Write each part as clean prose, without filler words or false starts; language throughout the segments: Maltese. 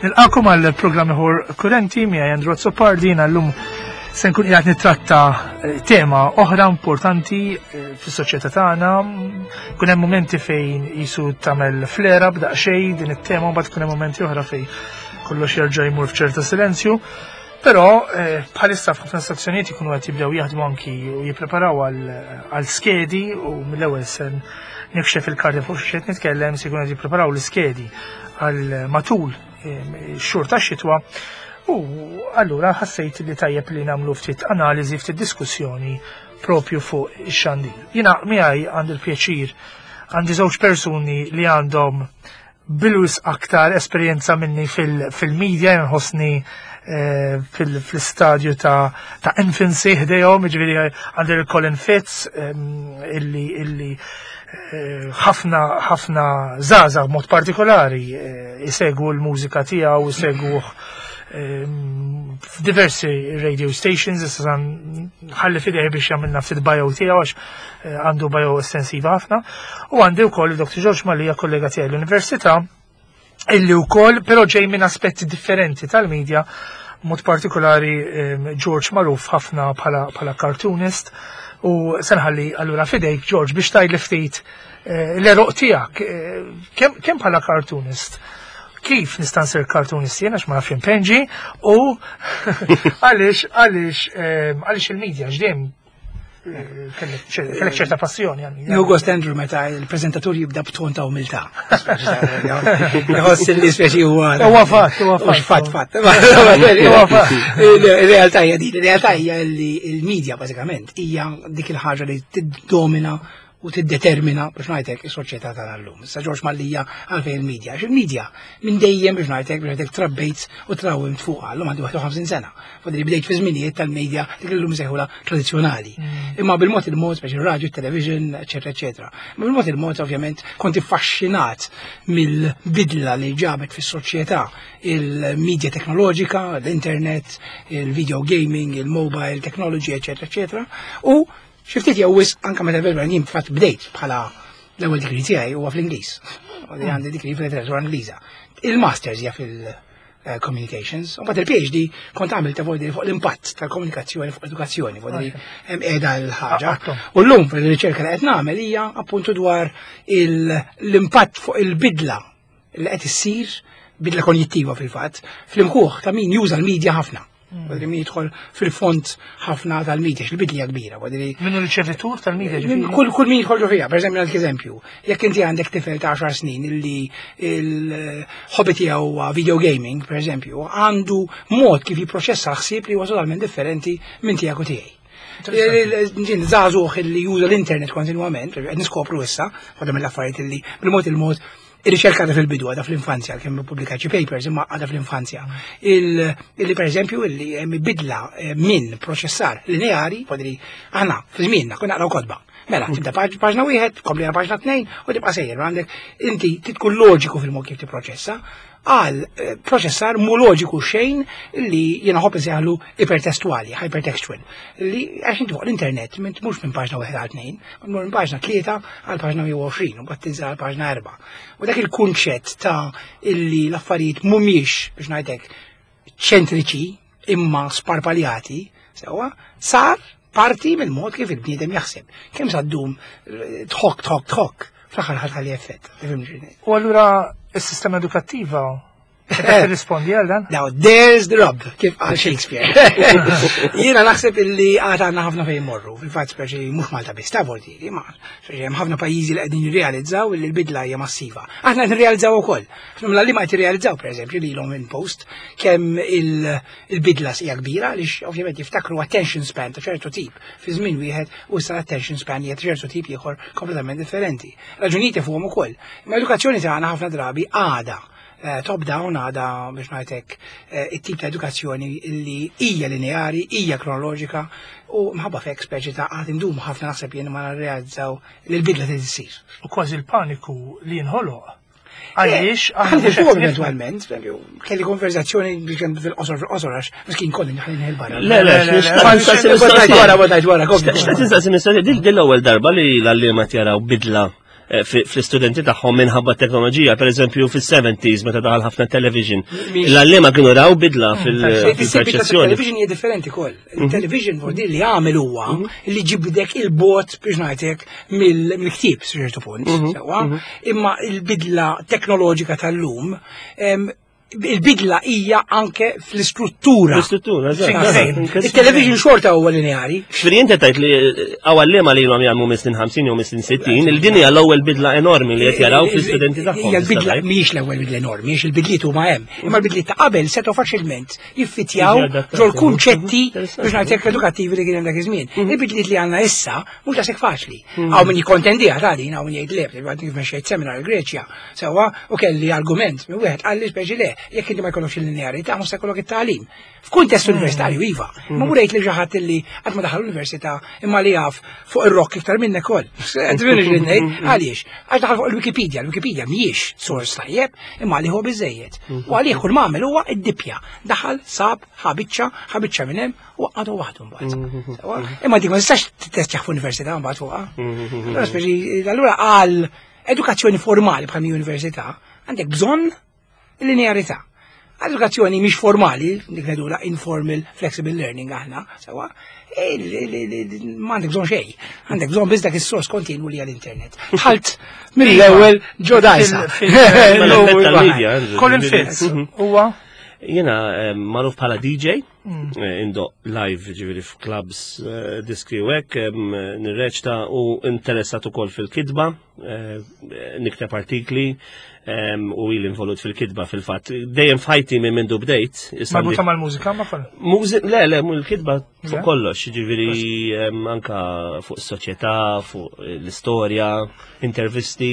Nilqakom għal programm ieħor kurrenti miegħi Andrew Azzopardi jiena llum se nkun qiegħed nittratta eh, tema oħra importanti eh, fis-soċjetà tagħna. Kun hemm mumenti fejn jisu tagħmel flera b'daqsxejn din it-tema mbagħad kun hemm mumenti oħra fejn kollox jerġa' jmur f'ċerta silenzju. Però eh, bħalissa f'ħafna stazzjonijiet ikunu qed jibdew jaħdmu anki u jippreparaw għal skedi u mill-ewwel sen nikxef il-karti fuq xi nitkellem se jkunu qed jippreparaw l-iskedi għal matul eh, xhur ta' xitwa u allura ħassejt li tajjeb li nagħmlu ftit analiżi, ftit diskussjoni propju fuq ix-xandir. Jiena miegħi għandi l-pjaċir għandi żewġ persuni li għandhom bilwis aktar esperjenza minni fil-media, nħossni eh, fil-stadju ta' ta' infancy ħdejhom, ġifieri għandi l-Colin Fitz ehm, illi illi eh, ħafna ħafna żgħażagħ mod partikolari eh, isegwu l-mużika tiegħu, isegwuh ehm, f'diversi radio stations, issa ħalli fidej biex jagħmilna ftit bio tiegħu għax eh, għandu bio estensiva ħafna. U għandi wkoll Dr. George Malija kollega tiegħi l-Università illi wkoll però ġej minn aspetti differenti tal-medja mod partikolari ehm, George magħruf ħafna bħala cartoonist u senħalli allura fidejk George biex tgħidli ftit eh, l-eroq tiegħek eh, kemm bħala cartoonist kif nista' nsir cartoonist jien għax ma nafx impenġi u għaliex għaliex ehm, għaliex il-medja x'dejjem kellek ċerta passjoni għal Nieħu gost Andrew meta il-preżentatur jibda b'ton ta' umiltà. Jħoss li speċi huwa. Huwa fatt, huwa fatt. Fatt, fatt. Huwa fatt. Ir-realtà hija din, ir-realtà hija li l-medja bażikament hija dik il-ħaġa li tiddomina u tiddetermina biex ngħidlek is-soċjetà tagħna llum. Issa Ġorġ Mallia għalfejn il-medja. Għax il-medja minn dejjem biex ngħidlek biex ngħidlek trabbejt u trawwimt fuqha llum għandi 51 sena. Fadli bdejt fi żminijiet tal-medja dik illum sejħula tradizzjonali. Mm. Imma bil-mod il-mod biex ir-radju, television, eċetera, eċetera. Imma bil-mod il-mod ovvjament kont iffaxxinat mill-bidla li ġabet fis-soċjetà il-medja teknoloġika, l-internet, il-video gaming, il-mobile technology, eċetera, eċetera. U Xi ftit jew wisq anke meta vera jien fatt bdejt bħala l-ewwel degree tiegħi huwa fl-Ingliż. U li għandi degree fil-letteratura Ingliża. Il-masters hija fil-communications, u mbagħad il-PhD kont għamilt ta' fuq l-impatt tal-komunikazzjoni fuq edukazzjoni, fuq hemm qiegħda l-ħaġa. U llum fil-riċerka li qed nagħmel hija appuntu dwar l-impatt fuq il-bidla li qed issir bidla konjittiva fil-fatt fl-imħuħ ta' min juża l-medja ħafna. Mm. Għadri min jidħol fil-font ħafna tal-medja, xil-bidli kbira. Minnu riċevitur tal-medja? Kull kull min jidħol ġo fiha, per eżempju, għandek eżempju, jekk inti għandek tifel ta' 10 snin illi il-hobby tiegħu huwa video gaming, per eżempju, għandu mod kif jipproċessa l-ħsieb li huwa totalment differenti minn tiegħek u tiegħi. Ġin żagħżugħ illi juża l-internet kontinwament, qed niskopru issa, waħda mill-affarijiet illi bil-mod il-mod Ir-riċerka għadha fil-bidu, għadha fl-infanzja, kemm pubblikat xi papers imma għadha fl-infanzja. Illi pereżempju illi hemm bidla eh, minn proċessar lineari, podri aħna fi żmienna konna naqraw kotba. Mela, mm. tibda paġna wieħed, kompli paġna tnejn u tibqa' sejjer għandek inti tkun loġiku fil-mod kif tipproċessa għal eh, proċessar mu loġiku xejn li jiena ħobb insejħlu ipertestuali, hypertextual, li għax inti fuq l-internet minn mhux minn paġna wieħed għal tnejn, minn paġna tlieta għal paġna 120 u mbagħad tinżel għal paġna erba'. U dak il-kunċett ta' illi l-affarijiet mhumiex biex ngħidlek ċentriċi imma sparpaljati, sewwa, sar parti mill-mod kif il-bniedem jaħseb. Kemm sa ddum eh, tħokk, tħokk, tħokk, fl-aħħar ħadd effett. U allura is-sistema edukattiva Eh. Rispondi għal dan? Now, there's the rub, kif għal Shakespeare. Jiena naħseb illi għad għandna ħafna fejn morru, fil-fatt speċi mhux Malta biss ta' voltieri, ma speċi hemm ħafna pajjiżi li qegħdin jirrealizzaw illi l-bidla hija massiva. Aħna qed nirrealizzaw ukoll. Mela li ma qed jirrealizzaw pereżempju lilhom in post kemm il-bidla hija kbira għaliex ovvjament jiftakru attention span ta' ċertu tip fi żmien wieħed u issa l-attention span hija ċertu tip ieħor kompletament differenti. Raġunijiet fuqhom ukoll. Ma edukazzjoni tagħna ħafna drabi għada Eh, top down għada biex ngħidlek eh, it-tip ta' edukazzjoni li hija lineari, hija kronoloġika u mħabba fek speċi ta' għad indum ħafna naħseb jien ma narrealizzaw li l-bidla trid issir. U kważi l-paniku li jinħoloq Għaliex, eh, aħna fuq eventualment, kelli konverzazzjoni fil-qosor fil-qosor għax miskin kolli nħallin il-barra. Le, le, le, wara, wara, wara, wara. Xtaqt nistaqsi din l-ewwel darba li l-għalliema jaraw bidla. eh, fl-istudenti tagħhom minħabba teknoloġija, per eżempju fis-70s meta daħal ħafna television. L-għalliema kienu raw bidla mm. fil-perċezzjoni. Television hija differenti koll. Mhm. Il-television vuol li għamel huwa mhm. li ġibdek il-bot biex ngħidlek mill-ktieb ċertu punt, mhm. sewwa. Imma il-bidla teknoloġika tal-lum il-bidla hija anke fl-istruttura. L-istruttura, eżatt. Il-television xorta huwa lineari. Xfiri inti tajt li għawallima li ilhom jagħmlu mis-snin 50 jew mis-snin 60, il-din hija l-ewwel bidla enormi li qed jaraw fl-istudenti tagħhom. Hija l-bidla mhijiex l-ewwel bidla enormi, għax il-bidliet huma hemm. Imma l-bidliet ta' qabel setgħu faċilment jiffitjaw ġol kunċetti biex ngħidlek edukattivi li kien hemm dak iż-żmien. Mhm. Il-bidliet li għandna issa mhux daqshekk faċli. Mhm. Hawn min jikkontendiha ta' din, hawn min jgħid le, kif mexxejt seminar il-Greċja, Sewwa, u kelli argument minn wieħed qalli speċi le, jekk inti ma jkollokx il-linearità mhux se jkollok it-tagħlim. F'kuntest mm. universitarju iva, ma mm. murejt li xi ħadd li qatt ma daħal università imma li jaf fuq ir-rock iktar minnek ukoll. Mm. Għaliex? Għax daħal fuq il-Wikipedia, il-Wikipedia mhijiex sors tajjeb, imma għalih huwa biżejjed. Mm. U għalih kull ma għamel huwa id-dipja. Daħal, sab, ħabiċċa, ħabiċċa minn hemm u għadu waħdu mbagħad. Mm-hmm. Imma dik ma tistax titestjaħ f'università mbagħad fuqha. Mm-hmm. Allura għal Edukazzjoni formali bħal università għandek bżonn linearità. Edukazzjoni mhix formali, dik ngħidula informal flexible learning aħna, sewa, ma għandek bżonn xejn. Għandek bżonn biss dak is-sors kontinwu li għall-internet. Ħalt mill-ewwel ġo dajsa. Colin Fitz huwa Jiena eh, magħruf bħala DJ, mm. eh, indoq live ġifieri f'clubs eh, diski u hekk, nirreċta u interessat ukoll fil-kitba, nikteb artikli u ili involut fil-kitba fil-fatt. Dejjem f'ħajti minn mindu bdejt. Marbuta mal-mużika ma koll? Le, le, l-kitba fuq kollox, ġifieri anka fuq is-soċjetà, fuq l-istorja, intervisti.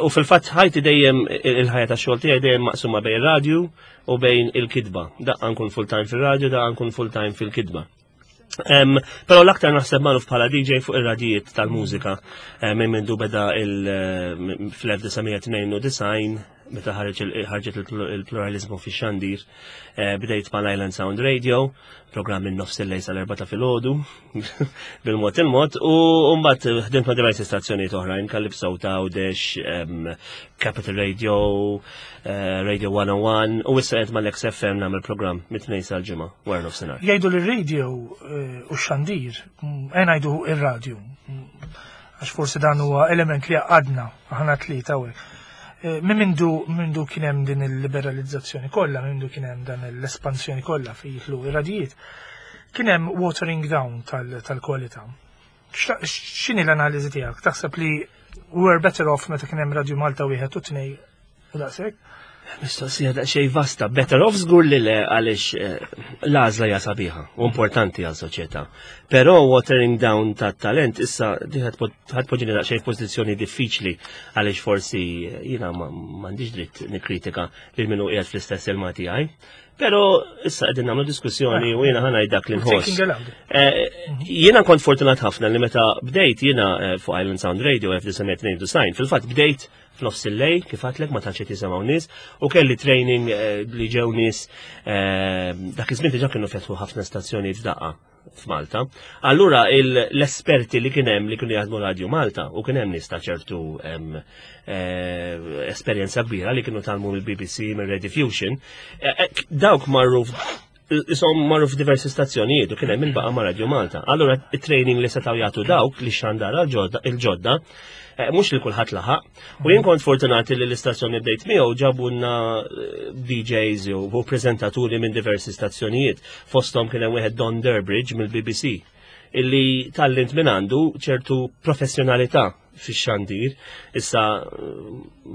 U fil-fatt ħajti dejjem il-ħajja tax-xogħol tiegħi dejjem maqsuma bejn radju u bejn il-kitba. Daqqa nkun full-time fil-radju, daqqa nkun full-time fil-kitba. Pero l-aktar naħseb magħruf bħala DJ fuq ir-radijiet tal-mużika eh, minn mindu beda fl-1992 meta ħarġet il-pluralizmu fi xandir eh, bdejt mal Island Sound Radio, programm minn nofs il-lejl sal-erba ta' filgħodu bil-mod il-mod u mbagħad ħdimt ma' diversi stazzjonijiet oħrajn Calypso ta' Għawdex, Capital Radio, eh, Radio 101 u issa qed mal-XFM nagħmel programm mit-tnejn sal-ġimgħa wara nofsinhar. Jgħidu li r-radio eh, u x-xandir, mm, eh, ngħidu ir-radio, mm, għax forsi dan huwa element li għadna aħna tlieta hawnhekk. Minn mindu mindu kien hemm din il-liberalizzazzjoni kollha, minn mindu kien hemm dan l-espansjoni kollha fejn jidħlu ir-radijiet, kien hemm watering down tal-kwalità. X'inhi l-analiżi tiegħek? Taħseb li we're better off meta kien hemm Radio Malta wieħed u tnej u daqshekk? Mistoqsija daqsxejn vasta, better off żgur li le għaliex eh, l-għażla hija sabiħa u importanti għal soċjetà. Però watering down ta' talent issa ħadd poġġini daqsxejn f'pożizzjoni diffiċli għaliex forsi eh, jiena m'għandix dritt nikkritika lil min hu qiegħed fl-istess ilma tiegħi. Pero issa qegħdin nagħmlu diskussjoni u jiena ħanaj dak li nħoss. Eh, jiena kont fortunat ħafna li meta bdejt jiena fuq Island Sound Radio 1992, fil-fatt bdejt f'nofs il-lejl, kif għatlek ma tantx qed jisimgħu nies, u kelli training eh, li ġew nies eh, dak iż-żmien diġà kienu fetħu ħafna stazzjonijiet f'daqqa f'Malta. Allura l-esperti li kien hemm li kienu jaħdmu Radio Malta u kien hemm nies ta' ċertu eh, esperjenza kbira li kienu talmu mill-BBC, mill-Rediffusion, dawk marru isom marru f'diversi stazzjonijiet u kien hemm il-baqa' ma' Radio Malta. Allura it-training li setgħu jagħtu dawk li xandara il-ġodda, eh, mhux li kulħadd laħaq. U jien kont fortunati li l-istazzjoni bdejt miegħu ġabunna eh, DJs u preżentaturi minn diversi stazzjonijiet. Fosthom kien hemm wieħed Don Durbridge mill-BBC illi tallint minn għandu ċertu professjonalità fix-xandir. Issa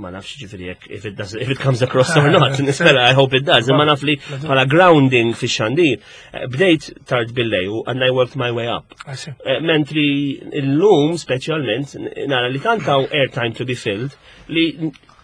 ma nafx ġifieri jekk if it does if it comes across or not, nispera I hope it does, imma naf li bħala grounding fix-xandir. Eh, bdejt tard billej u and I worked my way up. Eh, mentri illum speċjalment nara li tant hawn airtime to be filled li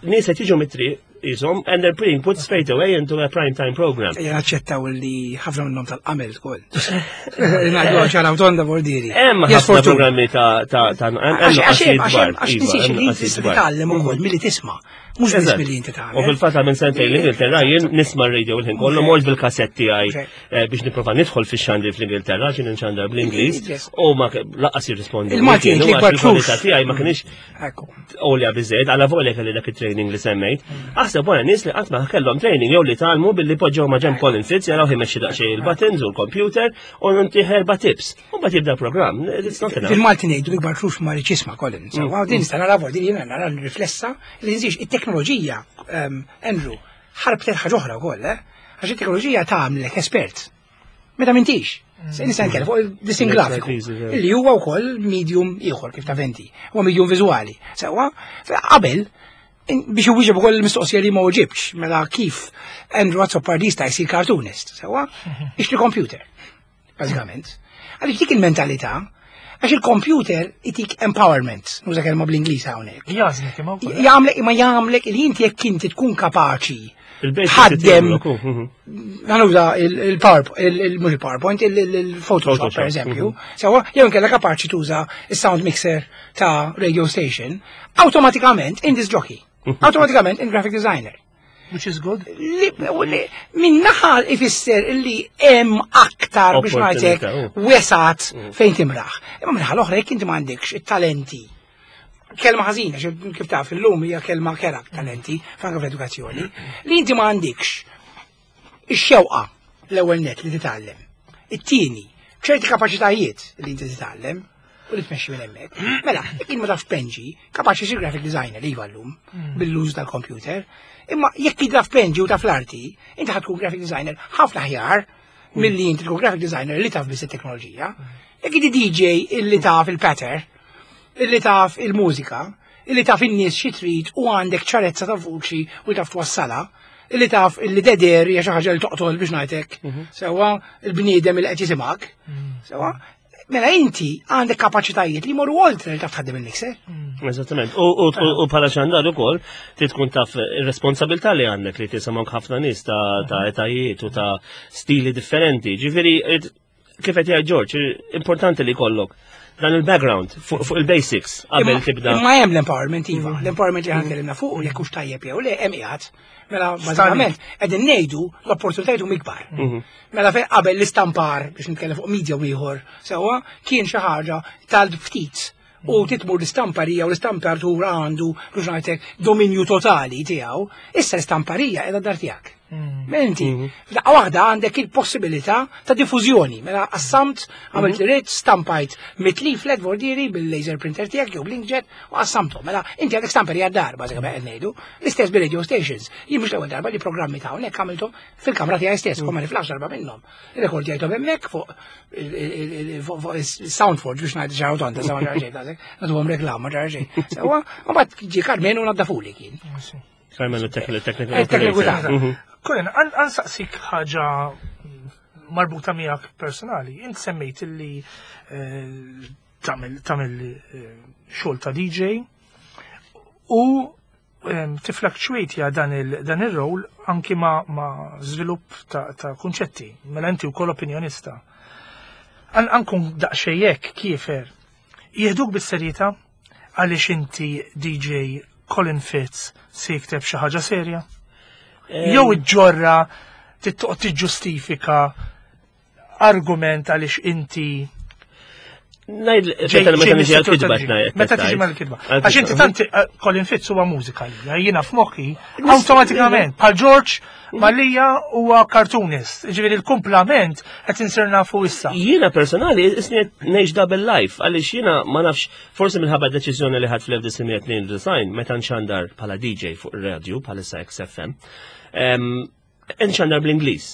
nies qed jiġu mit-triq jisom and they're being put straight away into a prime time program. Ejja naċċettaw li ħafna minnhom tal-qamel ukoll. Ngħidu ċara tonda bordiri. Hemm ħafna programmi ta' ta' ta' għax għax titgħallem ukoll milli tisma'. Mhux biss milli inti tagħmel. U fil-fatt minn sentejn l-Ingilterra jien nisma' r-radio l-ħin kollu mort bil-kasett tiegħi eh, biex nipprova nidħol fix-xandri fl-Ingilterra xi nxandar bl-Ingliż u ma laqas jirrispondi. Il-Malti l-ikbar tiegħi ma kienx għolja biżejjed, għala volja kelli dak it-training li semmejt. Aħseb wara nies li qatt ma kellhom training jew li talmu billi poġġew ma' ġemp Colin Fitz jaraw imexxi daqsxejn il-buttons u l-computer u ntiħ erba' tips. U mbagħad jibda programm. Fil-Malti ngħidu l-ikbar truf ma rridx jisma' Colin. Sewwa din nista' nara din jiena nara riflessa li nżix it-teknoloġija ehm, Andrew ħarbtet ħaġa oħra wkoll, eh? Għax it-teknoloġija tagħmlek espert. Meta m'intix. Se nista' nitkellem fuq il-disinn grafiku li huwa wkoll medium ieħor kif ta' venti, huwa medium viżwali. Sewwa, qabel biex iwieġeb ukoll il-mistoqsija li ma uġibx, mela kif Andrew Azzopardi jista' jsir cartoonist, sewwa, ixtri computer bażikament. Għaliex dik il-mentalità, għax il-computer itik empowerment, nuża kelma bl-Ingliż hawnhekk. Jażlek imma wkoll. Jagħmlek imma jagħmlek li inti jekk inti tkun kapaċi tħaddem għanuża il-PowerPoint, mhux il-PowerPoint, il-Photoshop per eżempju, sewa jew inkella kapaċi tuża is-sound mixer ta' radio station, awtomatikament in disc jockey, awtomatikament in graphic designer. Which is good. Min naħa ifisser li hemm aktar biex ngħidlek oh. wesat mm. fejn timraħ. Imma minnaħa l-oħra jekk inti m'għandekx it-talenti. Kelma ħażina, kif taf illum hija kelma kera talenti, fanka fl-edukazzjoni, li inti ma għandekx ix-xewqa l-ewwel net li titgħallem. It-tieni, ċerti kapaċitajiet li inti titgħallem, u li tmexxi minn hemmhekk. Mela, jekk ma taf penġi, kapaċi sir graphic designer iva llum mm. bil-użu tal-computer, imma jekk taf penġi u taf l-arti, inti ħad tkun graphic designer ħafna aħjar mm. milli inti tkun graphic designer li taf biss it-teknoloġija. Mm. Jekk inti DJ illi taf il-patter, illi taf il-mużika, illi taf in-nies xi trid u għandek ċarezza ta' vuċi u taf twassala, illi taf illi deder hija xi ħaġa li toqtol biex ngħidlek. Mhm. Sewwa il-bniedem li qed jisimgħek. Sewwa Mela inti għandek kapaċitajiet li jmorru oltre li taf tħaddem il-mixer. Mm. Eżattament. U bħala xandar ukoll trid tkun taf ir-responsabilità li għandek li tisimgħu ħafna nies ta' mm. etajiet u ta' stili differenti. Ġifieri kif qed jgħid George, importanti li jkollok dan il-background fuq il-basics qabel tibda. Imma hemm l-empowerment iva, mm. l-empowerment li ħankellimna fuq jekk hux tajjeb jew le hemm qiegħed. Mela bażikament qegħdin ngħidu l-opportunitajiet huma ikbar. Mhm. Mela fejn qabel l-istampar biex nitkellem fuq media u ieħor sewwa kien xi ħaġa tal-ftit u mhm. titmur l-istamparija u l-istampartur għandu biex ngħidlek dominju totali tiegħu, issa l-istamparija qiegħda dar tiegħek. Mhm. Mela inti, mhm. f'daqqa waħda għandek il-possibilità ta' diffużjoni. Mela qassamt, għamilt li rrid, stampajt mitli flet vordieri bil-laser printer tiegħek jew bl-inkjet u qassamtu. Mela inti għandek stamperija d-dar, bażikament qed ngħidu. L-istess bil-radio stations. Jien mhux l-ewwel darba li programmi ta' hawnhekk għamilthom fil-kamra tiegħi stess, kont ma niflax darba minnhom. Rekordjajthom hemmhekk fuq Soundforge biex ngħid ġaraw tonta sa ma ġara xejn daqshekk, nagħtuhom reklam ma ġara xejn. Sewwa, u mbagħad ġie Carmen u naddafuli kien. Carmen u tekniku. Tekniku taħt. Mhm. Colin, għansaqsik ħaġa marbuta miegħek personali. Int semmejt illi eh, tagħmel eh, xogħol ta' DJ u tiflakċwejtja dan il-rol anki ma, ma żvilupp ta', ta kunċetti, mela inti wkoll opinjonista. Ankun daqsxejn hekk kiefer. Jieħduk bis-serjetà għaliex inti DJ Colin Fitz se jikteb xi ħaġa serja? Jew iġġorra tittoqgħod tiġġustifika argument għaliex inti Najd, meta niġi għal-kitba, Meta tiġi mal-kitba. Għax inti tant eh, Colin Fitz huwa mużika lija, jiena f'moħħi awtomatikament bħal George Malija huwa cartoonist. Ġifieri l-kumplament qed insir nafu issa. Jiena personali isni ngħix double life għaliex jiena ma nafx forsi minħabba deċiżjoni li ħadd fl-1992 meta nxandar bħala DJ fuq ir-radio bħalissa XFM. Nxandar bl-Ingliż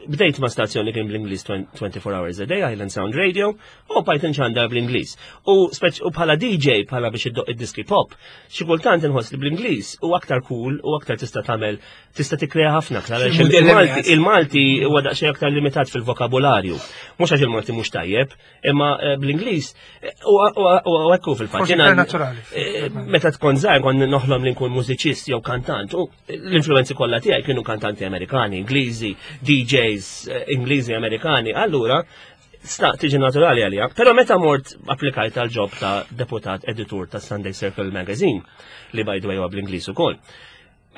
bdejt ma' stazzjoni kien bl-Ingliż 24 hours a day, Island Sound Radio, u bajt nxandar bl-Ingliż. U u bħala DJ, bħala biex iddoq id-diski pop, xi kultant inħoss li bl-Ingliż u aktar cool u aktar tista' tagħmel tista' tikkrea ħafna aktar. Il-Malti huwa daqsxejn aktar limitat fil-vokabularju. Mhux għax il-Malti mhux tajjeb, imma eh, bl-Ingliż eh, u hekk fil-fatt. Eh, meta tkun żgħar kont noħlom li nkun mużiċist jew kantant u l-influenzi kollha tiegħi kienu kantanti Amerikani, Ingliżi, DJs Ingliżi Amerikani, allura sta tiġi naturali għalija. Però meta mort applikajt għal job ta' deputat editur ta' Sunday Circle Magazine, li by the way huwa bl-Ingliż ukoll.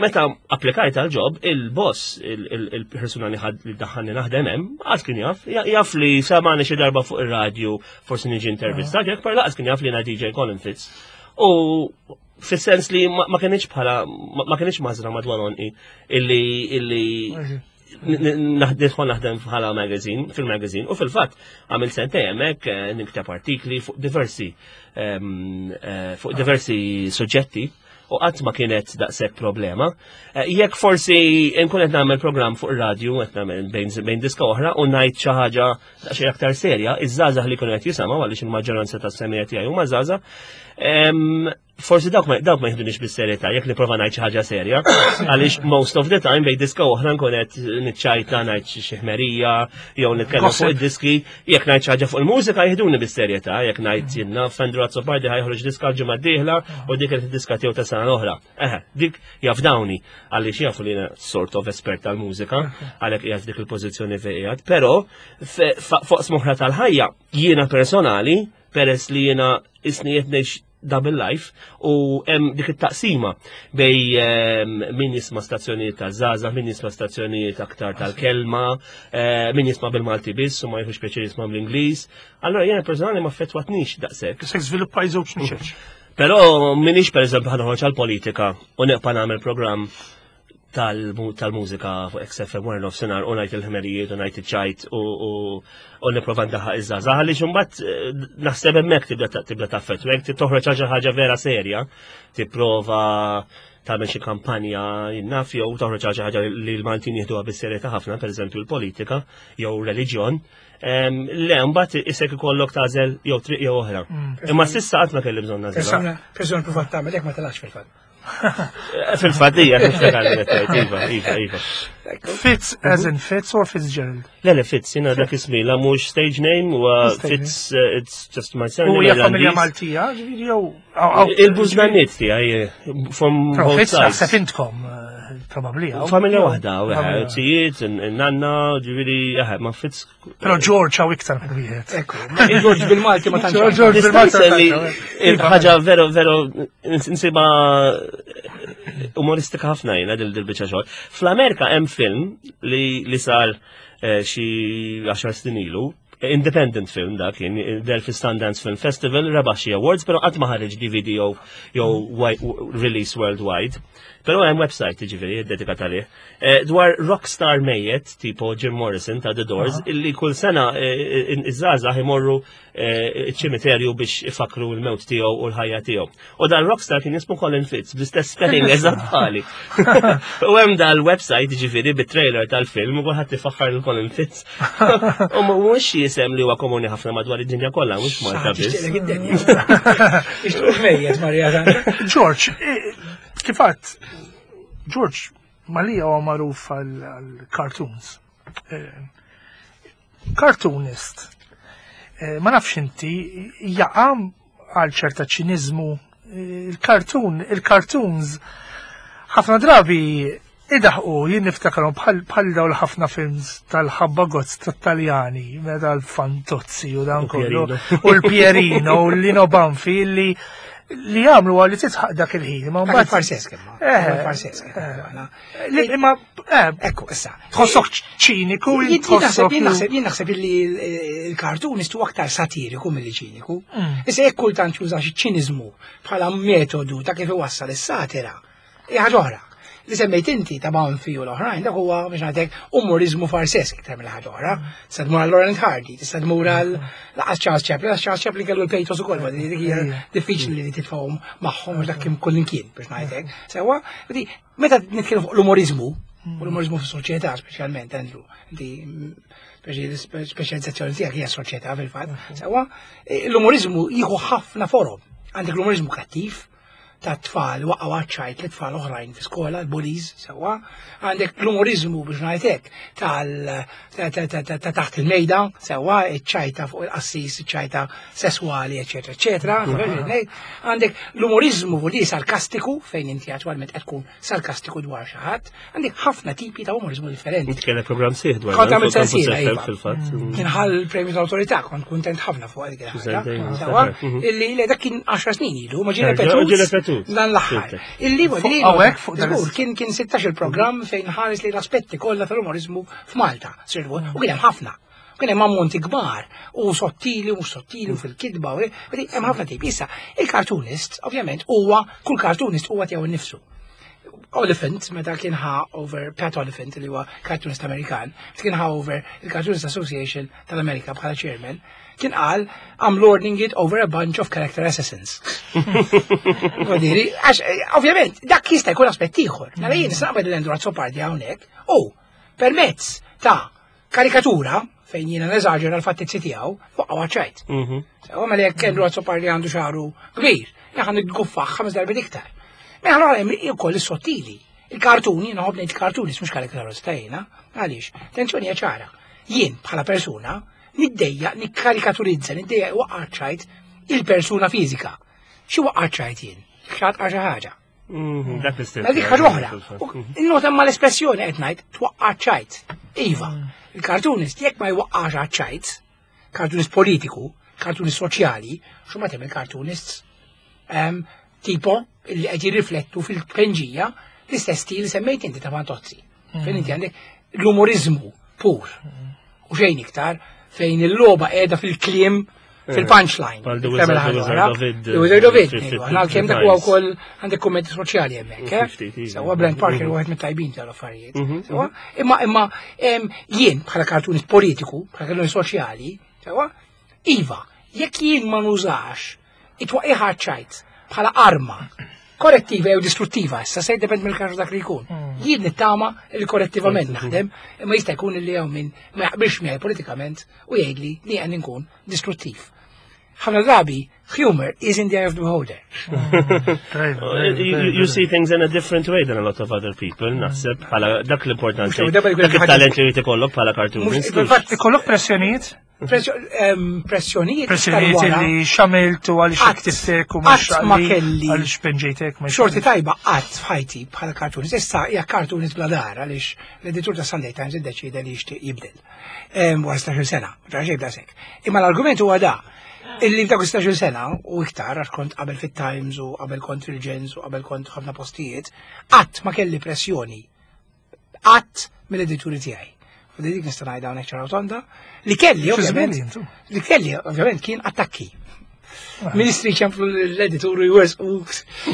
Meta applikajt għal job, il-boss, il-persuna li ħad li daħħalni naħdem hemm, għad kien jaf, jaf li samani xi darba fuq ir-radju, forsi niġi intervistat, jekk per laqas kien jaf li jiena DJ Colin Fitz. U fis-sens li ma kienx bħala ma kienx mażra madwar onqi illi illi nidħol naħdem bħala magazine, fil-magazine, u fil-fatt għamil sentej hemmhekk eh, nikteb artikli fuq diversi ehm, eh, fuq diversi suġġetti u qatt ma kienet daqshekk problema. Eh, jekk forsi nkun qed nagħmel programm fuq ir-radju qed nagħmel bejn diska oħra u ngħid xi ħaġa daqsxejn aktar serja, iż-żgħażagħ li jkunu qed jisimgħu għaliex il-maġġoranza tas-semija tiegħi huma żgħażagħ, ehm, forsi dawk ma dawk ma jieħdunix bis-serjetà jekk nipprova ngħid xi ħaġa serja, għaliex most of the time bejn diska oħra nkun qed niċċajta ngħid xi ħmerija jew nitkellem fuq id-diski, jekk ngħid xi ħaġa fuq il-mużika jieħduni bis-serjetà, jekk ngħid jiena Fendru Azzopardi ħajħroġ diska l-ġimgħa d-dieħla u dik qed id-diska tiegħu ta' sena l-oħra. Eħe, dik jafdawni għaliex jafu li jiena sort of espert tal-mużika għalhekk qiegħed dik il-pożizzjoni fejn qiegħed, però fuq smoħra tal-ħajja jiena personali peress li jiena isni qed ngħix double life u hemm dik it-taqsima bej ehm, min jisma' stazzjonijiet ta' żgħażagħ, min jisma' stazzjonijiet aktar tal-kelma, eh, min jisma' bil-Malti biss u ma jħux pjaċir jisma' bl-Ingliż. Allora jiena personali ma affettwatnix daqshekk. Se żviluppaj żewġ niċeċ. Però minix pereżempju ħanoħroġ għall-politika u neqpa' nagħmel programm tal-mużika fuq XFM wara nofsinhar u ngħid il-ħmerijiet u ngħid iċ-ċajt u nipprova ndaħħaq iż-żgħażagħ għaliex imbagħad eh, naħseb hemmhekk tibda tibda taffettwa jekk toħroġ xi ħaġa vera serja, tipprova tagħmel xi kampanja jinnaf jew toħroġ xi ħaġa li l-Maltin jieħduha bis-serjetà ħafna, pereżempju l-politika jew reliġjon. Le, mbagħad isek ikollok tagħżel jew triq jew oħra. Mm. Imma s'issa qatt ma kelli bżonn nagħżel. Persuna provat tagħmel hekk ma telax fil-fatt. Fil-fatt hija iva, iva, iva. Fitz as in Fitz or Fitzgerald? Le, le, Fitz, jina dak ismi, la mhux stage name u Fitz, eh, it's just my surname. U hija familja Maltija, ġifieri jew. Il-bużnanniet tiegħi eh, from both sides. Naħseb intkom eh, probabbli. Familja waħda, tijiet, nanna, ġifieri, ma Fitz Però George hawn iktar minn wieħed. Ekku, George bil-Malti ma tantx. George bil-Malti. Il-ħaġa veru veru nsiba umoristika ħafna jiena dil biċċa xogħol. Fl-Amerika hemm film li sar eh, xi 10 snin ilu, independent film dak kien del fi Sundance Film Festival rebaħ xi awards, però qatt ma ħareġ DVD jew release worldwide. Però hemm website jiġifieri dedikat għalih. Eh, dwar rockstar mejjet, tipo Jim Morrison ta' The Doors, illi kull sena eh, iż-żgħażagħ imorru eh, ċ-ċimiterju biex ifakru l-mewt tiegħu u l-ħajja tiegħu. U dan rockstar kien jismu Colin Fitz, bl-istess spelling eżatt bħali. U hemm dal-website ġifieri bit-trailer tal-film u kulħadd ifaħħar lil Colin Fitz. U mhux jisem li huwa komuni ħafna madwar id-dinja kollha, mhux Malta biss. George, kifat, George, Malija huwa magħruf għal-cartoons. Eh, cartoonist. Eh, ma nafx inti jaqa' għal ċerta ċiniżmu. Eh, il-cartoon, il-cartoons ħafna drabi idaħqu jien niftakarhom bħal dawn ħafna films tal-ħabba gozz tat-Taljani, meta l-Fantozzi u dan kollu, u l-Pierino u l-Lino Banfi li li jagħmlu għal li titħaq dak il-ħin. Ma mbagħad farsesk imma. Eh, farsesk. Eh, imma eh, ekku issa. Tħossok ċiniku. Jien naħseb li l-kartun istu aktar satiriku milli ċiniku. Mm. Issa jekk kultant juża xi ċiniżmu bħala metodu ta' kif iwassal is-satira, hija ħaġa oħra. Li semmejt inti ta' Banfi u l-oħrajn, dak huwa biex ngħidlek umorizmu farsesk iktar mill ħaġa oħra. Tista' tmur għal Laurent Hardy, tista' tmur għal laqas Charles Chaplin, laqas Charles Chaplin kellu l-pathos ukoll, ma dik hija diffiċli li titfgħhom magħhom għax dak kien kullimkien biex ngħidlek. Sewwa, meta nitkellmu fuq l-umorizmu, u l-umorizmu fis-soċjetà speċjalment, Andrew, inti speċjalizzazzjoni tiegħek hija soċjetà fil-fatt, sewwa, l-umorizmu jieħu ħafna forom. Għandek l-umorizmu kattiv, ta' tfal waqgħu għaċ-ċajt li tfal oħrajn fi skola, l-bullies, sewwa. Għandek l-umorizmu biex ngħidlek tal ta' taħt il-mejda, sewwa, iċ-ċajta fuq il-qassis, iċ-ċajta sesswali, eċetera, eċetera. Għandek l-umorizmu li sarkastiku fejn inti attwalment qed tkun sarkastiku dwar xi ħadd. Għandek ħafna tipi ta' umorizmu differenti. Inti kellek programm sieħ dwar. Kont għamilt sensiela, iva. fil-fatt. Mm. Kien ħall premju tal-awtorità, kont kuntent ħafna fuq dik il-ħaġa. Mhm. Illi le dak kien 10 snin ilu, ma ġie repetut. Ripetut. Dan l-aħħar. Illi Hawnhekk fuq dan Żgur, kien kien 16 il-programm fejn ħares li l-aspetti kollha tal-umorizmu f'Malta. Sirvu, u kien hemm ħafna. Kien hemm ammonti kbar u sottili u mhux sottili u fil-kitba u hemm ħafna tip. Issa, il-cartoonist, ovvjament, huwa kull cartoonist huwa tiegħu nnifsu. Oliphant, meta kien ħa over Pat Oliphant, li huwa cartoonist Amerikan, kien ħa over il-Cartoonist Association tal-Amerika bħala chairman, kien qal I'm lording it over a bunch of character assassins. Vodiri, għax, eh, ovvjament, dak jista' jkun aspett ieħor. Mela jien naqbel l-Andrew Azzopardi hawnhekk u permezz ta' karikatura fejn jiena neżaġera l-fattizzi tiegħu fuq ċajt. Sewa mela jekk Andrew Azzopardi għandu xagħru kbir, jien nitguffaħ ħames darbiet iktar. Mela allura hemm ukoll is-sottili. Il-kartuni, jiena nħobb ngħid kartuni, mhux karikaturista jiena, għaliex? Attenzjoni hija ċara. Jien bħala persuna niddejjaq nikkarikaturizza, niddejjaq waqqa' ċajt il-persuna fiżika. Xi waqqa' ċajt jien? Xat xi ħaġa. Dak l-istil. Ma dik ħaġa oħra. Nota ma l-espressjoni qed ngħid twaqqa' ċajt. Iva, il-cartoonist jekk ma jwaqqax ċajt, cartoonist politiku, cartoonist soċjali, xu ma tem il-cartoonists tipo li qed jirriflettu fil-penġija l-istess stil li semmejt inti ta' Fantozzi. Fejn inti għandek l-umorizmu pur. U xejn iktar fejn il-logħba qiegħda fil-kliem fil-punchline. Bħal The Tagħmel Wizard- ħaġa The Wizard oħra. of Id, The Wizard of Id, fil- ngħidu, aħna għalkemm dak huwa wkoll għandek kummenti soċjali hemmhekk, eh? Ftit, iva. Sewwa Brent Parker wieħed mit-tajbin tal-affarijiet. Mhm, Sewwa? Imma imma jien bħala cartoonist politiku, bħala cartoonist soċjali, sewwa? Iva, jekk jien ma nużax it-twaqqiħ ċajt bħala arma korrettiva jew distruttiva, issa se jiddependi mill-każ dak li jkun. Jien nittama li korrettivament naħdem, imma jista' jkun li hawn min ma jaqbilx miegħi politikament u jgħidli li qed inkun distruttiv. Ħafna drabi, humor is in the eye of the beholder. You see things in a different way than a lot of other people, naħseb, bħala dak l-importanti. Mhux darba jkun Dak hemm il-talent li jrid ikollok bħala cartoonist. Mhux- fil-fatt, Ikollok pressjonijiet? Pressjonijiet Pressjonijiet iktar wara. li xamilt u għaliex Qatt- ktibtek u mhux qatt ma għalli- kelli. għaliex penġejtek. ma Xorti tajba qatt f'ħajti bħala cartoonist. Issa hija cartoonist bla dar għaliex l-editur ta' Sunday Times iddeċida li jixtieq jibdel. Wara 16 sena, ġara xejn bla Imma l-argument huwa da illi f'dak 16 sena u iktar għax kont qabel fit-Times u qabel kont fil-Gens u qabel kont ħafna postijiet, qatt ma kelli pressjoni qatt mill-edituri tiegħi. U dik nista' ngħidha hawnhekk ċara u tonda li kelli Xi ovvjament żmien intu? li kelli ovvjament kien attakki. Ministri ċemplu l-editur u jwers u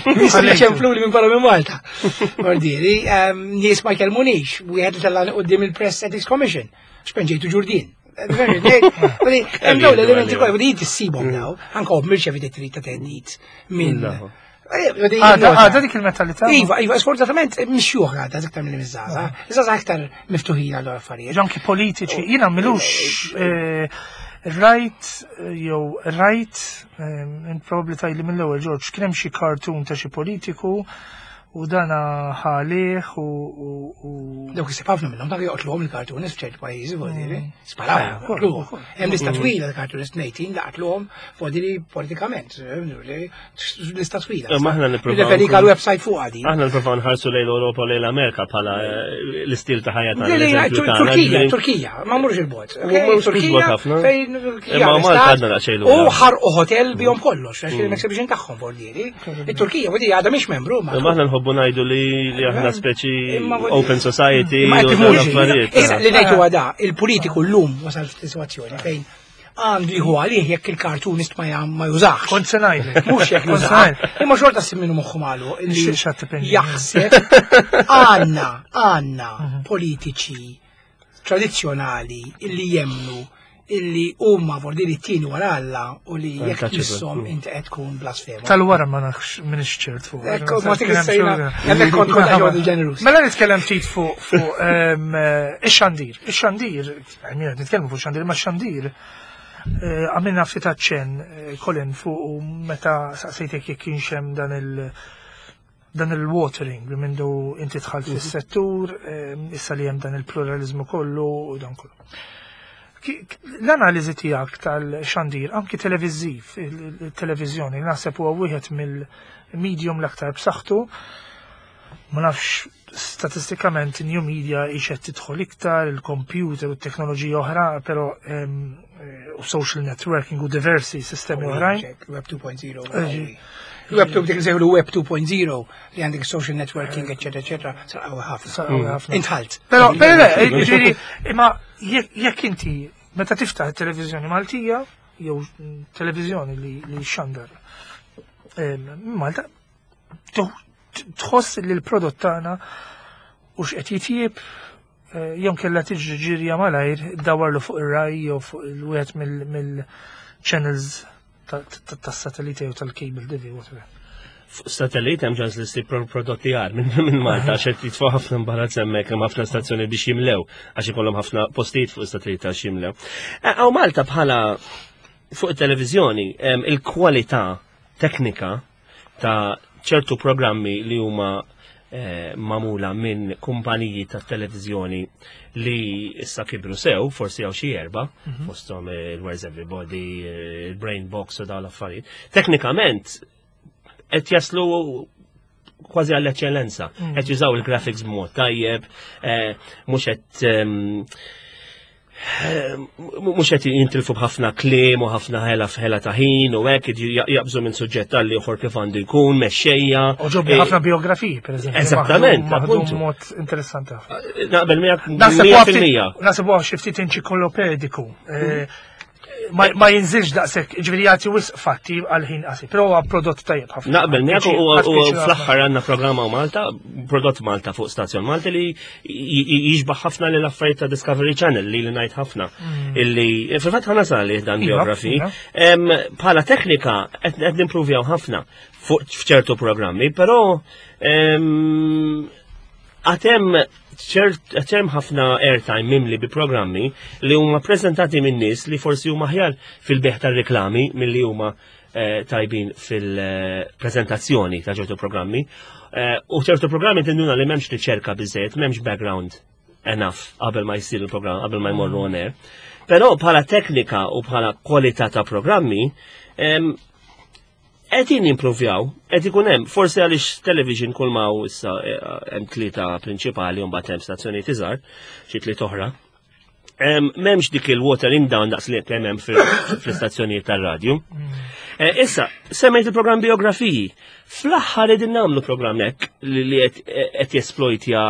ministri ċemplu li minn barra minn Malta. Bordieri, nies ma jkellmunix, wieħed li tellani qudiem il-Press Ethics Commission, xpenġejtu ġurdin. Hemm dawn l-elementi kollha, di tissibhom daw, anke mirċevi trid ta' teddid minn. Għada għada dik il-mentalità. Iva, iva, sfortunatament mxjuħ għadha iktar mill miż-żaza. Iż-żaza aktar miftuħin għal affarijiet. Anki politiċi, jiena milux rajt jew rajt probabbli tajli mill-ewwel George kien hemm xi cartoon ta' xi politiku u dana ħalih u Dawk isib ħafna minnhom dak joqtluhom il-cartoonist f'ċerti pajjiżi vuol Sparaw, joqtluhom. Hemm lista twila tal-cartoonist mejtin li qatluhom vuol politikament. Lista twila. Imma aħna nippruvaw Referik nkunu- għal-website fuq għadi. Aħna nipprovaw nħarsu lejn l-Ewropa u lejn l-Amerika bħala l-istil ta' ħajja tagħna. Le, le, l-eżempju tagħna, Turkija, ġifieri- Turkija, ma murx il-bot. U ma mhux il-bot ħafna. Fejn Imma Malta għadna daqsxejn U lura. ħarqu hotel bihom kollox, għax kien exhibition tagħhom voldieri. Il-Turkija, vuol għadha mhix membru. ma- Imma aħna nħobbu ngħidu li li aħna speċi Imma vuol- open society Ma u qed dawn tifhmux. l-affarijiet. Issa li ngħid huwa da, il-politiku llum wasal f'sitwazzjoni fejn għandu jieħu għalih jekk il-cartoonist ma jam- ma jużax. Kont se ngħidlek. Mhux jekk Kont se jużax. ngħidlek. Imma xorta simminu moħħu magħluq illi Xi- x'għad tipenġi. jaħseb għandna għandna politiċi tradizzjonali illi jemnu illi huma vordiri t-tieni wara Alla u li jekk Untouchable. tissom inti qed tkun blasfema. Tal-wara ma nafx minix ċert fuq. Ekku, ma tik issejna, hemmhekk kont kont ġewwa ġenerus. Mela nitkellem ftit fuq fuq ix-xandir. Ix-xandir, għamilna nitkellmu fuq xandir, ma x-xandir għamilna ftit aċċenn Colin fuq u meta saqsejtek jekk kienx hemm dan il- dan il-watering li mindu inti dħalt fis-settur, issa li hemm dan il-pluralizmu kollu u dan kollu. L-analiżi tiegħek tal-xandir, anki televiżiv, il-televiżjoni, naħseb huwa wieħed mill-medium l-aktar b'saħħtu. Ma nafx statistikament new media ixed tidħol iktar, il-computer u t-teknoloġija oħra, però u social networking u diversi sistemi oħrajn. Web 2.0. Web 2 dik nsejħu Web 2.0 li għandek social networking, eccetera, eccetera, sar qawwi ħafna. Sar qawwi ħafna. Intħalt. Però, però, le, ġifieri, imma jekk inti meta tiftaħ it-televiżjoni Maltija, jew televiżjoni li xandar Malta, tħoss li l-prodott tagħna u x'qed jitjieb jew kella tiġri ġirja malajr dawarlu fuq ir-raj jew fuq il-wieħed mill-channels tas-satellite jew tal-cable TV whatever. Fuq satellite hemm ċans li ssib prodotti għar minn Malta għax qed jitfgħu ħafna imbarazz hemmhekk hemm ħafna stazzjoni biex jimlew għax ikollhom ħafna postijiet fuq satellite għax jimlew. Hawn Malta bħala fuq it-televiżjoni il-kwalità teknika ta' ċertu programmi li huma magħmula minn kumpaniji ta' televiżjoni li issa kibru sew, forsi hawn xi erba, fosthom il-Where's Everybody, il-Brain Box u dawn l-affarijiet. Teknikament qed jaslu kważi għall-eċċellenza. Qed jużaw il-graphics b'mod tajjeb, mhux qed mhux qed jintilfu b'ħafna kliem u ħafna ħela f'ħela ta' ħin u hekk jaqbżu minn suġġett għal ieħor kif għandu jkun, mexxejja. U ġobni ħafna biografiji, per eżempju. Eżattament, appuntu. Mod interessanti ħafna. Naqbel miegħek mija fil-mija. Naħseb huwa xi ftit enċiklopediku. Ma jinżilx daqshekk, ġifieri jagħti wisq fatti għal ħin qasir, però huwa prodott tajjeb ħafna. Naqbel miegħek u fl-aħħar għandna programma Malta, prodott Malta fuq stazzjon Malta li jixbaħ ħafna lil affarijiet ta' Discovery Channel li li ngħid ħafna. Illi fil-fatt ħana sali dan biografi. Bħala teknika qed nimpruvjaw ħafna fuq f'ċertu programmi, però għatem ċert ħafna airtime mimli bi programmi li huma prezentati minn nies li forsi huma aħjar fil-beħ tar-reklami milli huma tajbin fil-prezentazzjoni ta' ċertu programmi. U ċertu programmi tinduna li m'hemmx riċerka biżejjed, m'hemmx background enough qabel ma jsir il-programm, qabel ma jmorru on air. Però bħala teknika u bħala kwalità ta' programmi, qegħdin jimprovjaw, qed ikun hemm, forsi għaliex television kull ma hu issa hemm tlieta prinċipali u mbagħad hemm stazzjonijiet iżgħar, xi tliet oħra. M'hemmx dik il-watering down daqs li kemm hemm fl-istazzjonijiet tar-radju. Issa, semmejt il-programm biografiji. Fl-aħħar qegħdin nagħmlu programm hekk li qed jesplojtja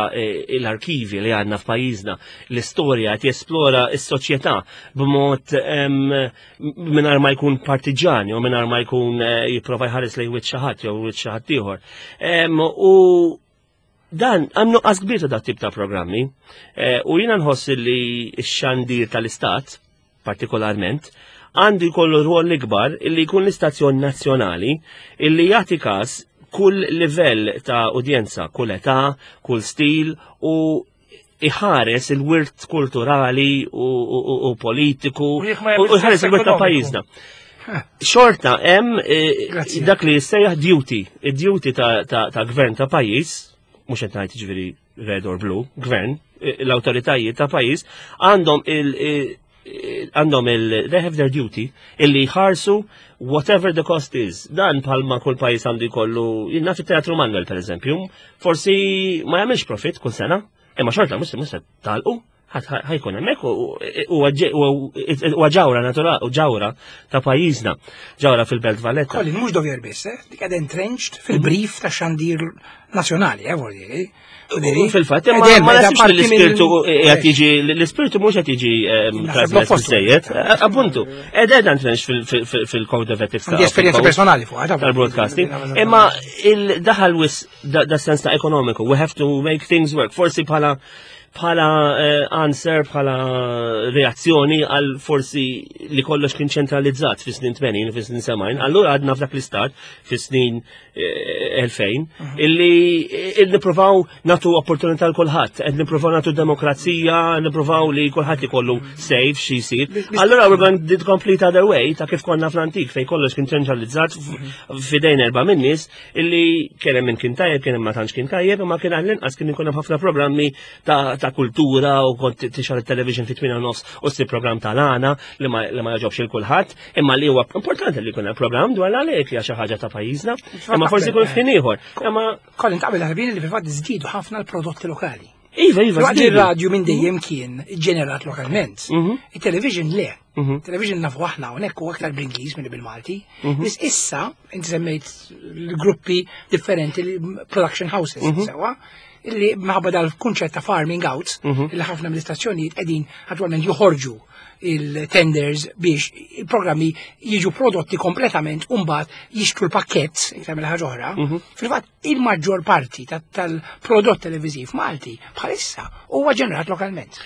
l-arkivi li għandna f'pajjiżna, l-istorja qed jesplora s-soċjetà b'mod mingħajr ma jkun partiġani u mingħajr ma jkun jipprova jħares lejn wiċċ xi ħadd jew wiċċ xi ħadd ieħor. U dan hemm nuqqas kbir ta' dat tip ta' programmi. U jiena nħoss li x-xandir tal-Istat, partikolarment, għandu jkollu rwol ikbar illi jkun l-istazzjon nazzjonali illi jagħti każ kull livell ta' udjenza, kull età, kull stil u iħares il-wirt kulturali u politiku U jekk ma u jagħmilx iħares sens il-wirt ta' ekonomiku. pajjiżna. Xorta hemm Grazzi. dak li jissejjaħ duty, id-duty ta' gvern ta' pajjiż, mhux qed ngħid jiġifieri red or blue, gvern, l-awtoritajiet ta' pajjiż għandhom il- għandhom il, they have their duty illi jħarsu whatever the cost is. Dan palma kull pajjiż għandu jkollu, jiena fit-Teatru Manuel per eżempju, forsi ma jagħmilx profit kull sena, imma xorta mhux se talqu, ħajkun hemmhekk u ġawra naturali u ġawra ta' pajjiżna, ġawra fil-Belt Valletta. Colin, mhux dover biss, dik qed entrenched fil-brief ta' xandir nazzjonali, vuol dire. U fil-fatt, imma Ed hemm, ma ed nasibx li apparti minn l-ispirtu qed jiġi, l-ispirtu mhux qed jiġi Naħseb trasmess l-oppost. biżejjed. Appuntu, ed ed entrenched fil-code of ethics Għandi esperjenza fil-code personali fuq, għadha. tal-broadcasting. Imma il-daħal wis da sens ta' ekonomiku, we have to make things work. Forsi bħala answer, bħala reazzjoni għal forsi li kollox kien ċentralizzat fi snin 80, fi snin 70, allura għadna f'dak l-istat fi snin 2000, illi nippruvaw natu opportunità l kulħadd, qed nippruvaw natu demokrazija, nippruvaw li kulħadd ikollu safe xi jsir. Allura we're going the complete other way ta' kif konna fl-antik fejn kollox kien ċentralizzat f'idejn erba' min-nies illi kien hemm min kien tajjeb, kien hemm ma tantx kien tajjeb, imma kien għall-inqas kien ikun hemm ħafna programmi ta' kultura u kont tixgħel it-television fi tmien u nofs u ssib programm tal-għana li ma jogħġobx il kulħadd, imma li huwa importanti li jkun hemm programm dwar l-għalek li hija xi ħaġa ta' pajjiżna, imma forsi jkun f'ħin ħin ieħor. Imma Colin taqbel ħarbin li fil-fatt żdiedu ħafna l-prodotti lokali. Iva, iva. Waqt il-radju minn dejjem kien ġenerat lokalment. Mhm. Il-television le. Mhm. Television nafu aħna hawnhekk u aktar bl-Ingliż minn bil-Malti. Mhm. Biss issa inti semmejt l-gruppi differenti, production houses, sewa, illi minħabba dal-kunċett ta' farming out, illi ħafna mill-istazzjonijiet qegħdin attwalment joħorġu il-tenders biex il-programmi jiġu prodotti kompletament u mbagħad jixtru l-pakkett iktar mill ħaġa oħra. Fil-fatt il-maġġor parti tal-prodott televiżiv Malti bħalissa huwa ġenerat lokalment.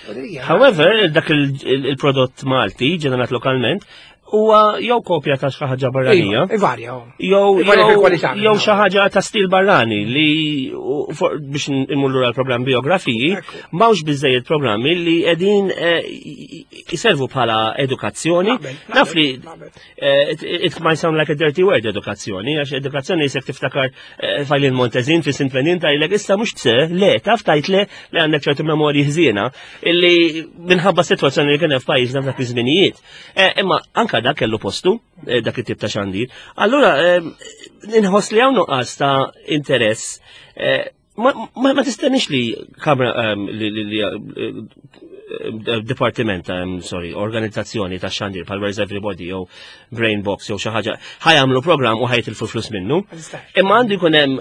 However, dak il-prodott Malti ġenerat lokalment huwa jew kopja ta' xi ħaġa barranija. Iva, ivarja. Jew jew xi ħaġa ta' stil barrani li biex immur lura l-programm biografiji, m'hawnx biżejjed programmi li qegħdin eh, jiservu bħala edukazzjoni. Naf li eh, it might sound like a dirty word edukazzjoni, għax edukazzjoni jisek tiftakar eh, fajlin Montezin fi Sint Venin tajlek issa mhux tse, le, taf tajt le li għandek ċertu memorji ħżiena illi minħabba sitwazzjoni li kien hemm f'pajjiżna f'dak iż-żminijiet. Eh, imma anka dak kellu postu, eh, dak it-tip ta' xandir. Allura, eh, inħoss li hawn nuqqas ta' interess ma tistennix li kamra li dipartiment, sorry, organizzazzjoni ta' xandir pal Where's Everybody jew Brain Box jew xi ħaġa ħajamlu programm u ħajtilfu flus minnu. Imma għandu jkun hemm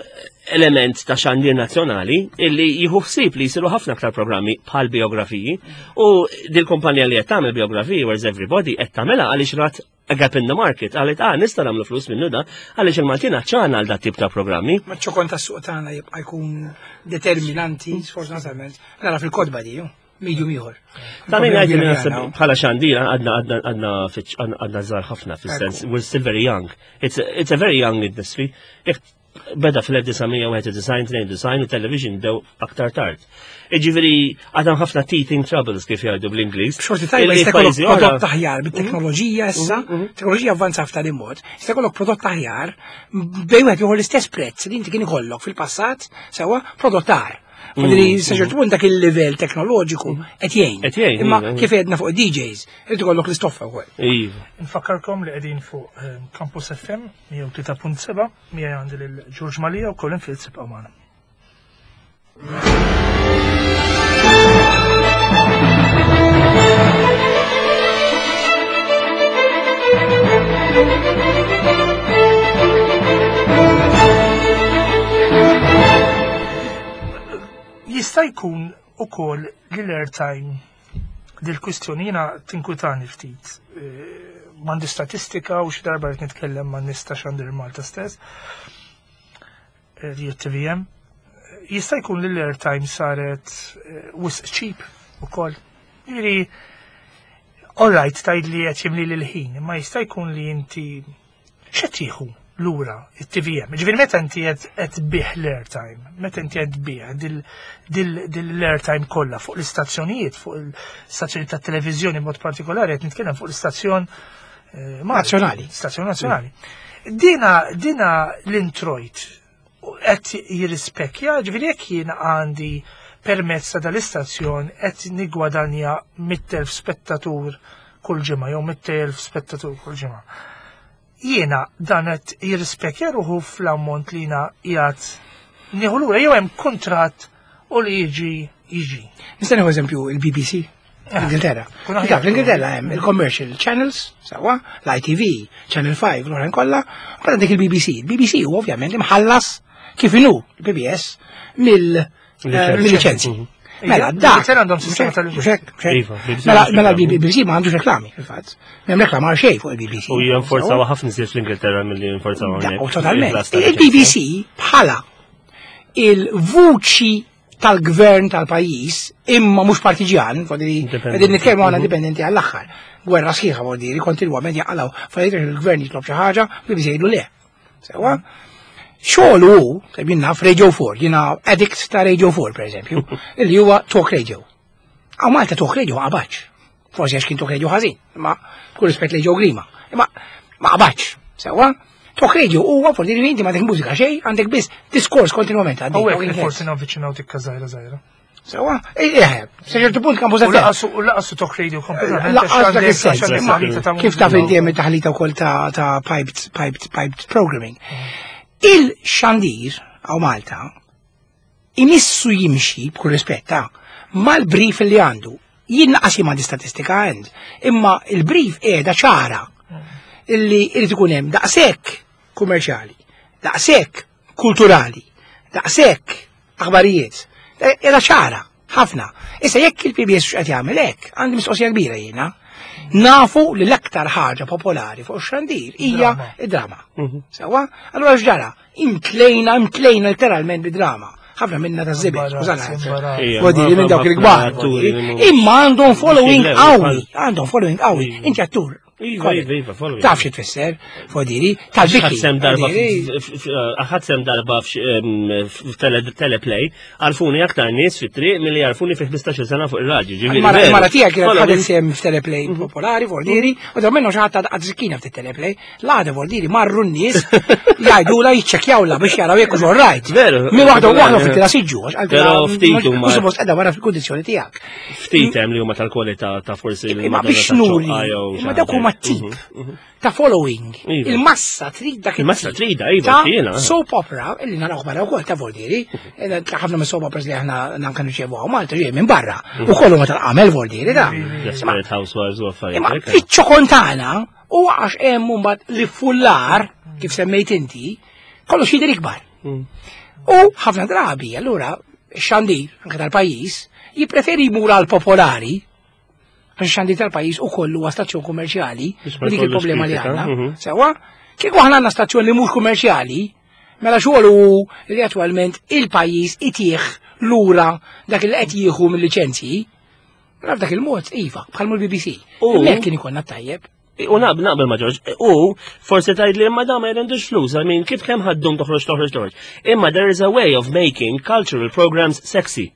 element ta' xandir nazzjonali illi jieħu ħsieb li jsiru ħafna aktar programmi bħal biografiji u dil-kumpanija li qed tagħmel biografiji Where's Everybody qed tagħmilha għaliex rat a gap in the market għalet ah nista' nagħmlu flus minnu da għaliex il-Maltin għaċċana għal dat tip ta' programmi. Ma ċokon tas-suq tagħna jibqa' jkun determinanti sfortunatament nara fil-kodba di. Medium ieħor. Ta' min jgħid li naħseb bħala xandira għadna għadna għadna għadna żgħar ħafna fis-sens we're still very young. It's a, it's a very young industry. Jekk beda fl-1991, 92 u television bdew aktar tard. Iġifieri għadhom ħafna teething troubles kif jgħidu bl-Ingliż. Xorti tajba jista' jkollok prodott aħjar bit-teknoloġija issa, mhm, mhm. teknoloġija avvanza f'tali mod, jista' jkollok prodott aħjar bejn wieħed ieħor l-istess prezz li inti kien ikollok fil-passat sewwa prodott agħar. Fadli mm. sa ċertu punt dak il-livell teknoloġiku mm. qed jgħin. Qed jgħin. Imma iva, kif għedna fuq DJs, irid ikollok l-istoffa wkoll. Iva. Nfakkarkom li qegħdin fuq ehm, Campus FM 103.7 miegħi għandi lil George Malija u Colin Fields ibqgħu magħna. Jista' jkun ukoll li l-airtime dil-kwistjoni jiena tinkwitani ftit. Eh, m'għandi statistika u xi darba qed nitkellem ma' nies ta' Xandir Malta stess. Eh, li TVM. Jista' jkun li l-airtime saret eh, wisq cheap ukoll. Jiġifieri, all right tgħid li qed jimli l-ħin, imma jista' jkun li inti x'qed tieħu lura it-TVM. Ġifieri meta inti qed tbih l-airtime, meta inti qed tbih dil-airtime kollha fuq l-istazzjonijiet, fuq l-istazzjoni tat-televiżjoni b'mod partikolari qed nitkellem fuq l-istazzjon eh, nazzjonali. Stazzjon nazzjonali. Dina dina l-introjt qed jirrispekja, ġifieri jekk jien għandi permezz ta' dal-istazzjon qed nigwadanja 100,000 spettatur kull ġimgħa jew 100,000 spettatur kull ġimgħa. Jiena dan qed jirrispekja ruħu fl-ammont li jiena qiegħed nieħu lura jew hemm kuntratt u li jiġi jiġi. Nista' nieħu eżempju il-BBC l-Ingilterra. Taf, l-Ingilterra hemm il-commercial channels, sewwa, l-ITV, Channel 5, l-oħrajn kollha, u mbagħad għandek il-BBC. Il-BBC huwa ovvjament imħallas kif inhu l-PBS mill-liċenzji. Mhm. Mela, da. għandhom sistema tal Iva, mela, mela l-BBC ma għandux reklami, fil-fatt. M'hemm reklam għal xejn fuq il-BBC. U jenforzaw ħafna iżjed fl-Ingilterra milli jenforzaw hawnhekk. Totalment. Il-BBC bħala il-vuċi tal-gvern tal-pajjiż imma mhux partiġjan, qegħdin nitkellmu għal indipendenti għall-aħħar. Gwerra sħiħa vuol dire, kontinwament jaqalgħu affarijiet il-gvern jitlob xi ħaġa, BBC jgħidu le. Sewa? Xogħol hu, jien naf Radio 4, jiena addict ta' Radio 4 pereżempju, illi huwa talk radio. Għaw Malta talk radio qabaċ. Forsi għax kien talk radio ħażin, imma kull rispett lejn Joe Grima. Imma ma qabaċ. Sewa? Talk radio huwa forsi li inti ma mużika xejn, għandek biss diskors kontinwament għaddej. Hawnhekk li forsi navviċinaw tikka żgħira żgħira. Sewa, eh, sa ċertu punt kan bużat. U laqasu talk radio kompletament. Laqas dak is-sens. Kif taf inti hemm taħlita wkoll ta' piped, piped, piped programming. Il-xandir għaw Malta imissu jimxi b'kull rispett ta' mal-brief li għandu. Jien naqas jien m'għandi statistika għand, imma il-brief qiegħda ċara illi irid ikun hemm daqshekk kummerċjali, daqshekk kulturali, daqshekk aħbarijiet. Qiegħda ċara ħafna. Issa jekk il-PBS x'qed jagħmel hekk, għandi mistoqsija kbira jiena. Nafu li l-aktar ħaġa popolari fuq ix-xandir hija id-drama. Sewwa? Allura x'ġara? Imtlejna, imtlejna literalment bid-drama. Ħafna minna ta' żibel, skużana. Vodili minn dawk il-kbar. Imma għandhom following qawwi, għandhom following qawwi. Inti attur. Iva, iva, iva, following. Taf xi tfisser, fodiri, tal-biki. Ħadd darba ħadd sem darba f'teleplay, għarfuni aktar nies fit-triq milli għarfuni fi 15 sena fuq ir-raġi. ġifieri Mara veru. mara tiegħek kienet Following. ħadet sem f'teleplay popolari, fordiri, u dawn minnhom xi ħadd għad zikkina f'teleplay. L-għada fordiri marru n-nies jgħidula jiċċekkjawla biex jaraw jekk hux right. Veru. Mi waħda waħda fit-tira siġġu, għax qaltilha, Però ftit huma- Mhux suppost qiegħda wara fil-kundizzjoni tiegħek. Ftit hemm li huma tal-kwalità ta' forsi Imma l-Madonna biex ta' nuri, ċoqqa jew xi imma dawk ħaġa. huma tip ta' following. Iva. Il-massa trid dak Il-massa it-tip trida, iva, ta' jiena. soap opera, illi naraw barra wkoll ta' Voldieri, ħafna minn soap operas li aħna nanka nirċevu hawn Malta ġej minn barra. U kollu ma tal-qamel Voldieri da. Desperate Housewives u affarijiet. Imma hekk. fiċ-ċokon tagħna u għax hemm mbagħad li fullar kif semmejt inti, kollox jidher ikbar. U ħafna drabi, allura, x-xandir, anke tal-pajjiż, jippreferi jmur għal popolari, għax xandir tal-pajjiż u kollu huwa stazzjon kummerċjali, Biex ma u dik jkollux il-problema li kritika, għandna. Sewwa, kieku aħna għandna stazzjon li mhux kummerċjali, mela xogħol hu li attwalment il-pajjiż itih lura dak li qed jieħu mill-liċenzji, mela f'dak il-mod, iva, bħal l-BBC. Hemmhekk kien ikollna tajjeb. U naqbel naqbel ma' George. U forsi tgħid li imma da ma jrendux flus, I mean, kif kemm ħaddum toħroġ toħroġ toħroġ. Imma there is a way of making cultural programs sexy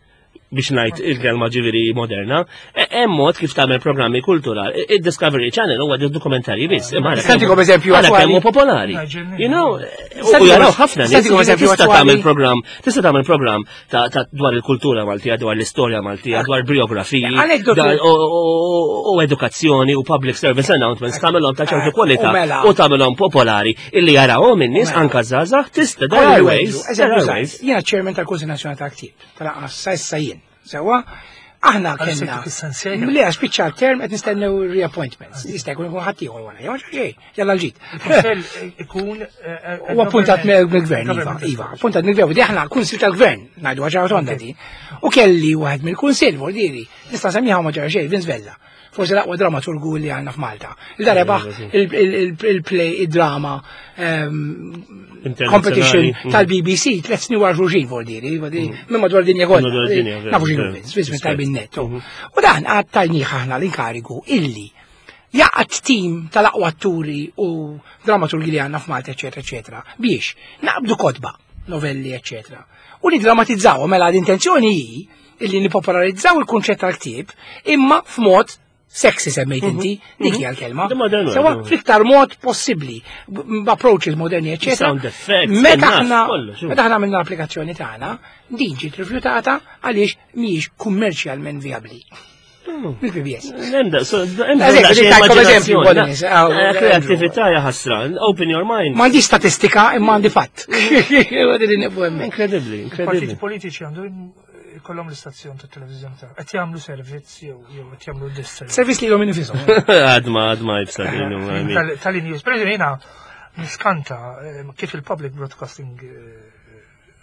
biex ngħid il-kelma ġifieri moderna. Hemm mod kif tagħmel programmi kulturali. Il-Discovery Channel huwa dokumentarji biss. Imma għala Nistatikom kemm- eżempju għala attwali. kemm hu popolari. Ġenni. You know, u Nistatikom- jaraw ħafna nies. nistatikom eżempju Tista' attwali. tagħmel programm, tista' tagħmel programm ta' dwar il-kultura Maltija, dwar l-istorja Maltija, dwar biografiji, Anekdotu. u edukazzjoni u public service announcements tagħmelhom ta' ċertu U kwalità mela. u tagħmelhom popolari illi jarawhom in-nies mela. anka żgħażagħ tista' there are ways, there Eżempju are żgħir, ways. Jiena chairman tal-Kunsil Nazzjonali tal-Ktieb, tal-anqas sa issa jien. Sewwa, aħna Għal kellna. sejtu fis-sensejja. Le, għax spiċċa l-term qed nistennew reappointments. Jista' jkun ikun ħadd ieħor wara, jew xejn, jalla l-ġid. Kunsell ikun. U appuntat mill-gvern, iva, iva, appuntat mill-gvern, u di aħna kunsil tal-gvern, ngħidu ħaġa tonda di. U kelli wieħed mill-kunsil, vuol diri, nista' semmiha ma ġara xejn, Vince Vella. Forsi l-aqwa dramaturgu li għandna f'Malta. Il rebaħ il-play, id-drama, competition Internazzjonali. tal-BBC, tlet snin wara xulxin, vuol diri, minn madwar dinja kollha. Madwar dinja, veru, Nafu x'inhu veru. Vince, Vince minn Rispett. tajbin netto. U dan għad tajniħ aħna l-inkarigu illi jaqgħad tim tal-aqwa atturi u dramaturgi li għandna f'Malta, eċetera, eċetera, biex naqbdu kotba, novelli, eċetera. U nidramatizzaw, mela l-intenzjoni hi illi nipopolarizzaw il-kunċett tal-ktieb imma f'mod sexy semmejt inti, dik hija l-kelma. The modern way, Sewa mhm. fl-iktar mod possibbli, b'approaches moderni, eċetera. Sound effects, Meta enough, aħna kollox, meta aħna għamilna l-applikazzjoni tagħna, din ġiet rifjutata għaliex mhijiex kummerċjalment vijabbli. Mill-PBS. Nemda, so, Eżempju, daqsxejn tajkom eżempju, immaġinazzjoni. Bonis, għaw, Kreatività hija ħasra, open your mind. Ma għandix statistika imma għandi fatt. Għadi li neqbu hemmhekk. Incredibly, Partiti incredibly. politiċi għandu jkollhom l-istazzjon ta' televiżjoni ta' qed jagħmlu servizz jew jew qed jagħmlu disservice. Servizz li l-om infisom. Għadma, għadma jibsa dinu, I mean. Tal-news. Per eżempju, jiena niskanta kif il-public broadcasting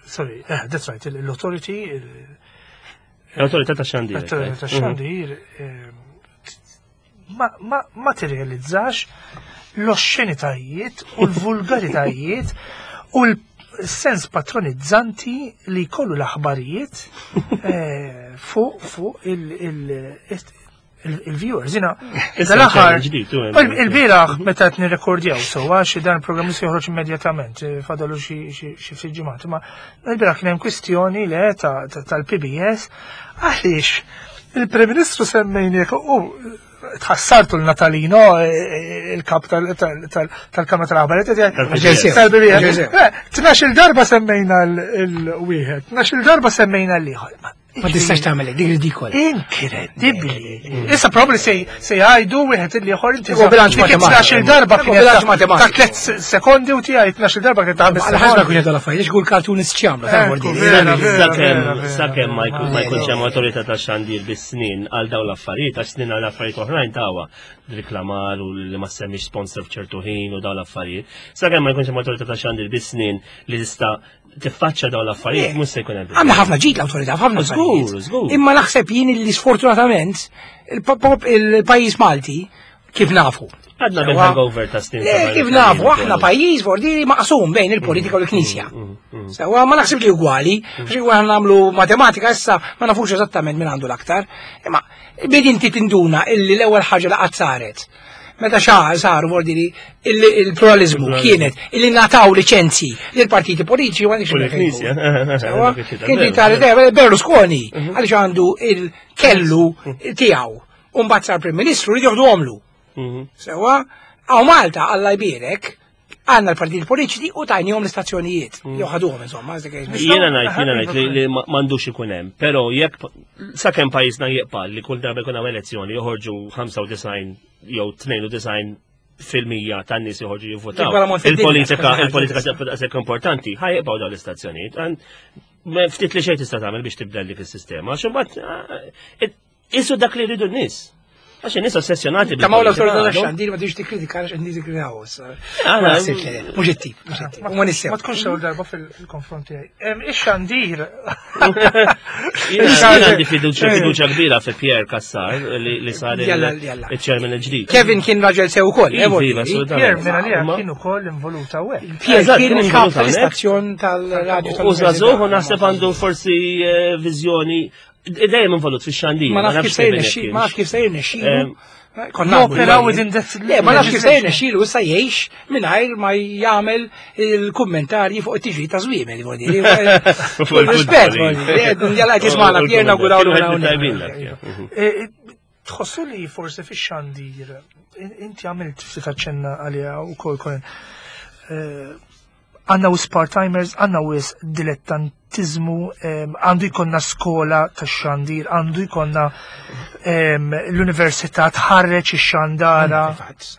sorry, that's right, l-authority, L-autorità ta' xandir. l-authority ta' xandir ma tirrealizzax l-oscenitajiet u l-vulgaritajiet u l-sens patronizzanti li jkollu l-aħbarijiet fuq il-viewers. Jina, Issa dal-aħħar, ċan ġdid, u hemm. il-bieraħ meta qed nirrekordjaw sewwa xi dan il-programm se joħroġ immedjatament, fadalu xi ftit ġimgħat, imma il-bieraħ kien hemm kwistjoni le tal-PBS għaliex il-Prim Ministru semmejniek u tħassartu l-Natalino, il-kap tal-Kamra tal-Aħbarijiet, Tal-PBS. tal-PBS. 12 darba semmejna l-wieħed, 12 darba semmejna l-ieħor. Ma Ma tistax tagħmel dik ridikola. Inkredibbli. Issa probabbli se se jgħidu wieħed li ieħor inti bilanċ matematiku. darba kien bilanċ matematiku. Ta' tliet sekondi u tiegħi 12 darba kien ta' ħames. Għal ħaġa kien jgħidu l-affarijiet, kull cartoonist x'jagħmlu ta' Sakemm sakemm ma jkunx hemm awtorità ta' xandir bis-snin għal dawn l-affarijiet, għax snin għal affarijiet oħrajn tawa reklamar u li ma semmix sponsor f'ċertu ħin u dawn l-affarijiet. Sakemm ma jkunx hemm awtorità ta' xandir bis-snin li tista' tiffaċċa dawn l-affarijiet mhux se jkun hemm. Għandna ħafna ġid l-awtorità, ħafna Żgur, żgur. Imma naħseb jien li sfortunatament il-pajjiż Malti kif nafu. Għadna bil-hangover ta' snin. Kif nafu, aħna pajjiż vordiri maqsum bejn il-politika u l-Knisja. Mm, mm, mm. Sewa ma naħseb li ugwali, għax għan nagħmlu matematika issa ma nafux eżattament min għandu l-aktar. Imma bid inti tinduna illi l-ewwel ħaġa li qatt saret meta xaħar saru vordiri il-pluralizmu kienet illi nataw licenzi lil partiti politiċi u għandix Kien tali Berlusconi mhm. għaliex għandu il-kellu tiegħu u mbagħad sar Prim Ministru li joħdu għomlu. Mhm. Sewa, għaw Malta Alla jbierek għanna l-partiti politiċi u tajnihom l-istazzjonijiet. Mm. Jew ħaduhom insomma. Jiena ngħid, jiena ngħid li m'għandux ikun hemm, però jekk sakemm pajjiżna jibqa' li kull darba jkun hawn elezzjoni joħorġu 95 jew 92 fil-mija tan-nies joħorġu jivvotaw. Il-politika, il-politika tibqa' daqshekk importanti, ħajqbgħu dawn l-istazzjonijiet. Ftit li xejn tista' tagħmel biex tibdel dik is-sistema, għax imbagħad eh, Isu dak li rridu n-nies. Għax in-nies ossessjonati. Ta' mawla awtorità ta' xandir ma tiġi tikkritika għax in-nies jikkritikaw issa. Mhux it-tip, mhux it-tip. Ma nissew. Ma tkunx ewwel darba fil-konfront tiegħi. Ix-xandir. Jien għandi fiduċja fiduċja kbira fi Pierre Cassar li sar il-chairman il-ġdid. Kevin kien raġel sew ukoll. Eh, iva, Pierre minn għalija kien ukoll involuta hawnhekk. Pierre kien kap tal-istazzjon tal-radju. U żagħżugħ u naħseb għandu forsi eh, viżjoni Dejjem involut fix-xandir. Ma nafx kif se jirnexxi, ma nafx kif se jirnexxilu. Konna operaw within that. Le, ma nafx kif se jirnexxilu issa jgħix mingħajr ma jagħmel il-kummentarji fuq it-tiġri ta' żwiemel, vuol dire. Rispett, jalla qed jismagħna Pier nawguraw eh, Tħossu li forsi fix-xandir inti għamilt ftit aċċenna għaliha wkoll Colin. Eh, għanna wis part-timers, għanna wis dilettantizmu, għandu jkollna skola ta' xandir, għandu jkollna l-università tħarreġ ix-xandara.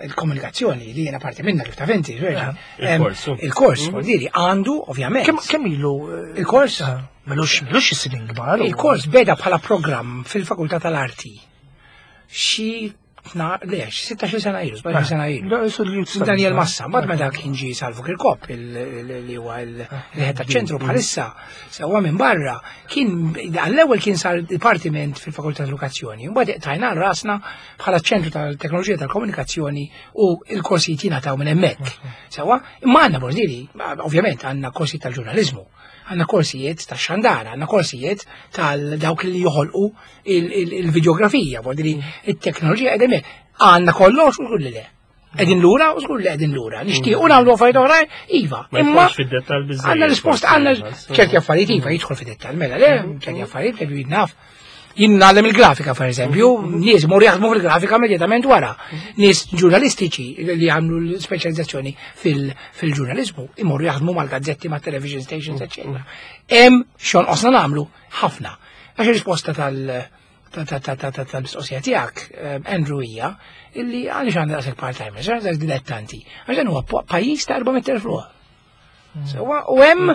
Il-komunikazzjoni li jena parti minna kif ta' venti, il-kors, il-kors, mm. għandu ovvjament. Kemm ilu? Eh, il-kors? Ah, melux, melux is-snin kbar. Il-kors beda bħala programm fil-Fakultà tal-Arti. Xi Na, le, 16 sena ilu, 17 sena ilu. Daniel Massa, mbagħad meta kien ġie Salvu Kirkop li huwa l-ħed taċ-ċentru bħalissa, sewwa minn barra, kien għall-ewwel kien sar dipartiment fil-Fakultà Edukazzjoni, mbagħad tajna rasna bħala ċentru tal-teknoloġija tal-komunikazzjoni u l-korsijiet jingħataw minn hemmhekk. Sewwa, imma għandna bordiri, ovvjament għandna korsijiet tal-ġurnaliżmu, għandna korsijiet tax-xandara, għandna korsijiet tal-dawk li joħolqu il-videografija, vuol it-teknoloġija qegħdin għandna kollox u żgur li le. Qegħdin lura u żgur li qegħdin lura. Nixtiequ mm. nagħmlu affarijiet oħrajn, iva. Imma għandna risposta għandna ċerti affarijiet iva jidħol fid-dettall, mela le, mm. ċerti affarijiet li naf. Jien nagħlem il-grafika per eżempju, mm. nies mor jaħdmu fil-grafika immedjatament wara. Nies ġurnalistiċi li jagħmlu l-speċjalizzazzjoni fil-ġurnaliżmu imorru jaħdmu mal-gazzetti, mat-television stations, eċċetera. Hemm xogħol qosna nagħmlu ħafna. Għax ir-risposta tal-mistoqsija tiegħek, eh, Andrew hija, illi għaliex għandna daqshekk part-timers, għaliex daqshekk dilettanti, għax dan huwa pajjiż ta' 400,000 ruħ. Hmm. Sewa, u hemm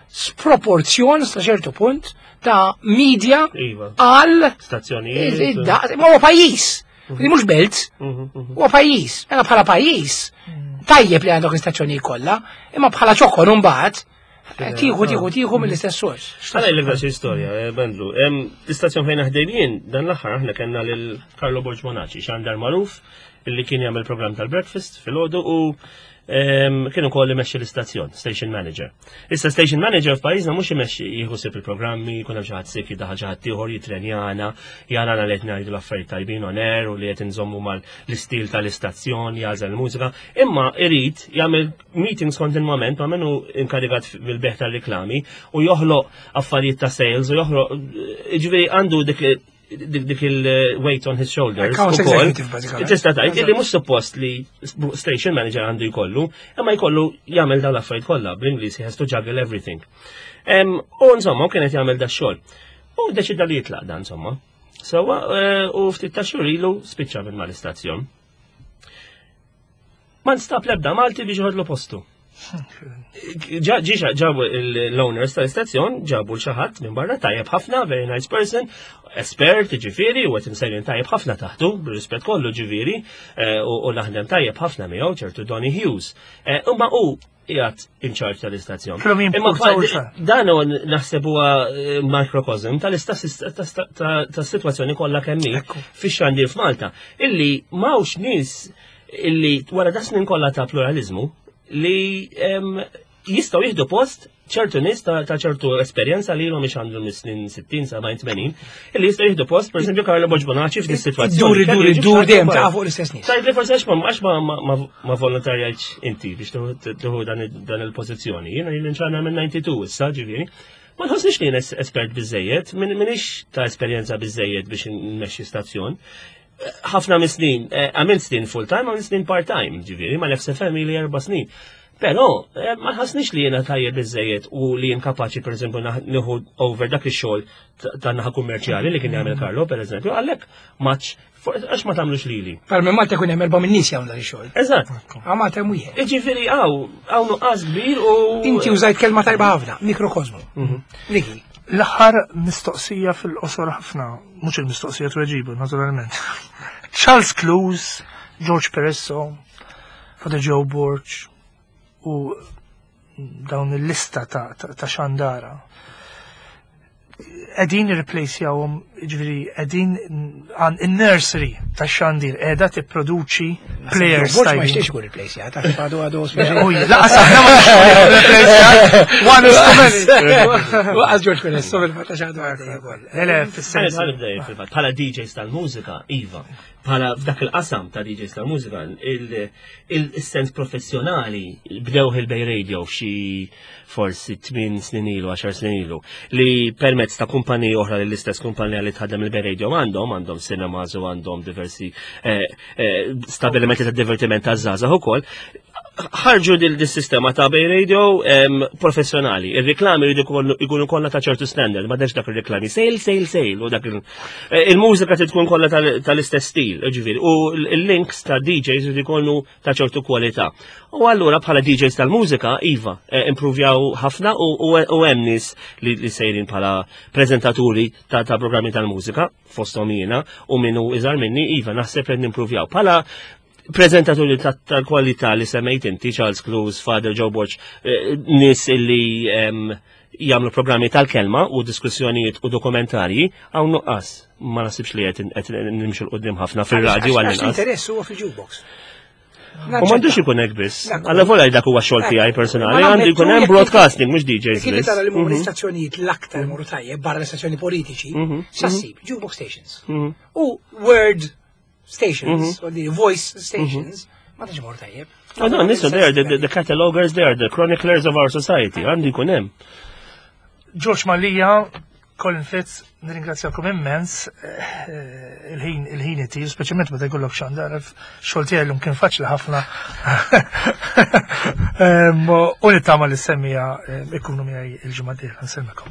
sproporzjon sa ċertu punt ta' media iva. għal stazzjonijiet. Ma huwa pajjiż. Mhm. Li mhux belt, mhm, mhm. huwa pajjiż. Mela bħala pajjiż, tajjeb li għandok l-istazzjonijiet kollha, imma bħala ċokon imbagħad Tieħu, tieħu, tieħu mill-istess sors. Għala il xi storja, eh, Bandlu. L-istazzjon fejn naħdem jien, dan l-aħħar aħna kellna lil Carlo Borg Monaci, xandar magħruf, illi kien jagħmel programm tal-breakfast filgħodu u kien ukoll imexxi l-istazzjon, station manager. Issa station manager f'pajjiżna mhux imexxi jieħu sib il-programmi, jkun hemm xi ħadd sik jidaħal xi ħadd ieħor jitrenjana, jarana li qed ngħidu l-affarijiet tajbin on air u li qed inżommu mal-istil tal-istazzjon, jagħżel il-mużika, imma irid jagħmel meetings kontinwament ma' minnu inkarigat bil-beħ tal-reklami u joħloq affarijiet ta' sales u joħloq ġifieri għandu dik dik il-weight on his shoulders. Tista' tgħid illi mhux suppost li station manager għandu jkollu, imma jkollu jagħmel dawn l-affarijiet kollha bl-Ingliż he has to juggle everything. U insomma, kienet jagħmel da xogħol. U deċida li jitlaq dan, insomma. Sewa, eh, u ftit ta' xhur ilu spiċċa minn mal-istazzjon. Ma nstab l-ebda Malti biex joħodlu postu. Ġiġa ġabu l-owners tal-istazzjon, ġabu l-xaħat minn barra tajjeb ħafna, very nice person, espert ġifiri, u għet insejrin tajjeb ħafna taħtu, b'rispett kollu ġifiri, eh, u naħdem tajjeb ħafna miegħu ċertu Donny Hughes. Eh, imma u qiegħed in charge tal-istazzjon. Imma dan huwa naħseb huwa eh, microcosm tal-sitwazzjoni kollha kemm hi fix-xandir f'Malta illi m'hawnx nies illi wara da snin kollha ta' pluralizmu li jistgħu jieħdu post ċertu nies ta' ċertu esperjenza li ilhom ixandru mis-snin 60, 70, 80, illi jistgħu jieħdu post, pereżempju Carlo Borg Bonacci f'din sitwazzjoni. Dur, dur, dur dejjem ta' fuq l-istess nies. Tajt li forsi għax ma għax ma volontarjajtx inti biex tieħu dan il-pożizzjoni. Jiena li nċana minn 92 issa ġifieri. Ma nħossniex li jien espert biżejjed, minix ta' esperjenza biżejjed biex nmexxi stazzjon ħafna mis snin, eh, għamilt snin full time, għamilt snin part time, ġifieri, ma l-FSFM li erba snin. Però, eh, ma ħasnix li jena tajjeb biżejjed u li jien kapaċi per eżempju nieħu over dak ix-xogħol ta' naħa kummerċjali li kien jagħmel Carlo per eżempju, għalhekk maċ għax ma tagħmlux lili. Par minn Malta jkun hemm erba' minn nies jagħmlu dan ix-xogħol. Eżatt. Għal Malta hemm wieħed. Jiġifieri hawn hawn nuqqas kbir u Inti użajt kelma tajba ħafna, mikrokosmu. Mhm. Riki. L-aħħar mistoqsija fil-qosor ħafna, mhux il-mistoqsija tweġibu, naturalment. Charles Clues, George Peresso, Father Joe Borg u dawn il-lista ta', ta, ta xandara qegħdin irreplacjawhom, ġifieri qegħdin għan in-nursery tax-xandir qiegħda tipproduċi players. Borg ma jixtiex ikun replacjat, għax għadu għadu Uj, laqas aħna ma replacjat, one is too many. Waqas George Perez, fil-fatt għax għadu għadu ukoll. Le, le, fis-sens. Fil-fatt, bħala DJs tal-mużika, iva, bħala f'dak il-qasam ta' DJs tal-mużika, il-sens professjonali bdew il-Bay Radio f'xi forsi 8 snin ilu, 10 snin ilu, li permezz ta' kumpaniji oħra li l-istess kumpanija li tħaddem il-Bay Radio għandhom, għandhom cinemas u għandhom diversi eh, eh, stabilimenti ta' divertiment ta' żgħażagħ ukoll, ħarġu dil sistema ta' Bay Radio professjonali. Il-reklami jridu jkunu kollha ta' ċertu standard, ma dex dak il-reklami sale, sale, sale, u dak eh, il-mużika trid tkun kollha tal-istess stil, ġifieri, u l-links ta' DJs jridu jkunu ta' ċertu kwalità. U allura bħala DJs tal-mużika, iva, eh, improvjaw ħafna u hemm nies li sejrin bħala preżentaturi ta' programmi tal-mużika, fosthom jiena, u minnu iżgħar minni, iva, naħseb qed nimprovjaw. Bħala preżentaturi tal-kwalità li semmejt inti, Charles Cruz, Father Joe Borg, eh, nies illi jagħmlu programmi tal-kelma u diskussjonijiet u dokumentarji, hawn nuqqas ma nasibx li qed nimxu l qudiem ħafna fir-radju għal inqas. Interess huwa fil-jukebox. U m'għandux ikun hekk biss. Alla volja dak huwa xogħol tiegħi personali, għandu jkun hemm broadcasting mhux DJs biss. Kif tara li huma l-istazzjonijiet l-aktar morru tajjeb barra l-istazzjoni politiċi, mhm. sassib jukebox stations. Mhm. U word stations, mhm. voice stations, ma tantx morru tajjeb. Oh, no, listen, they are the, the catalogers, they are the chroniclers of our society. Għandu jkun hemm. George Mallia, Colin Fitz, nirringrazzjakom immens eh, il-ħin il-ħin itir, speċjalment meta jkollok xandar, xogħol tiegħi llum kien faċli ħafna. U nittama li semmija eh, ikunu miegħi il-ġimgħa d-dieħla nsemmikom.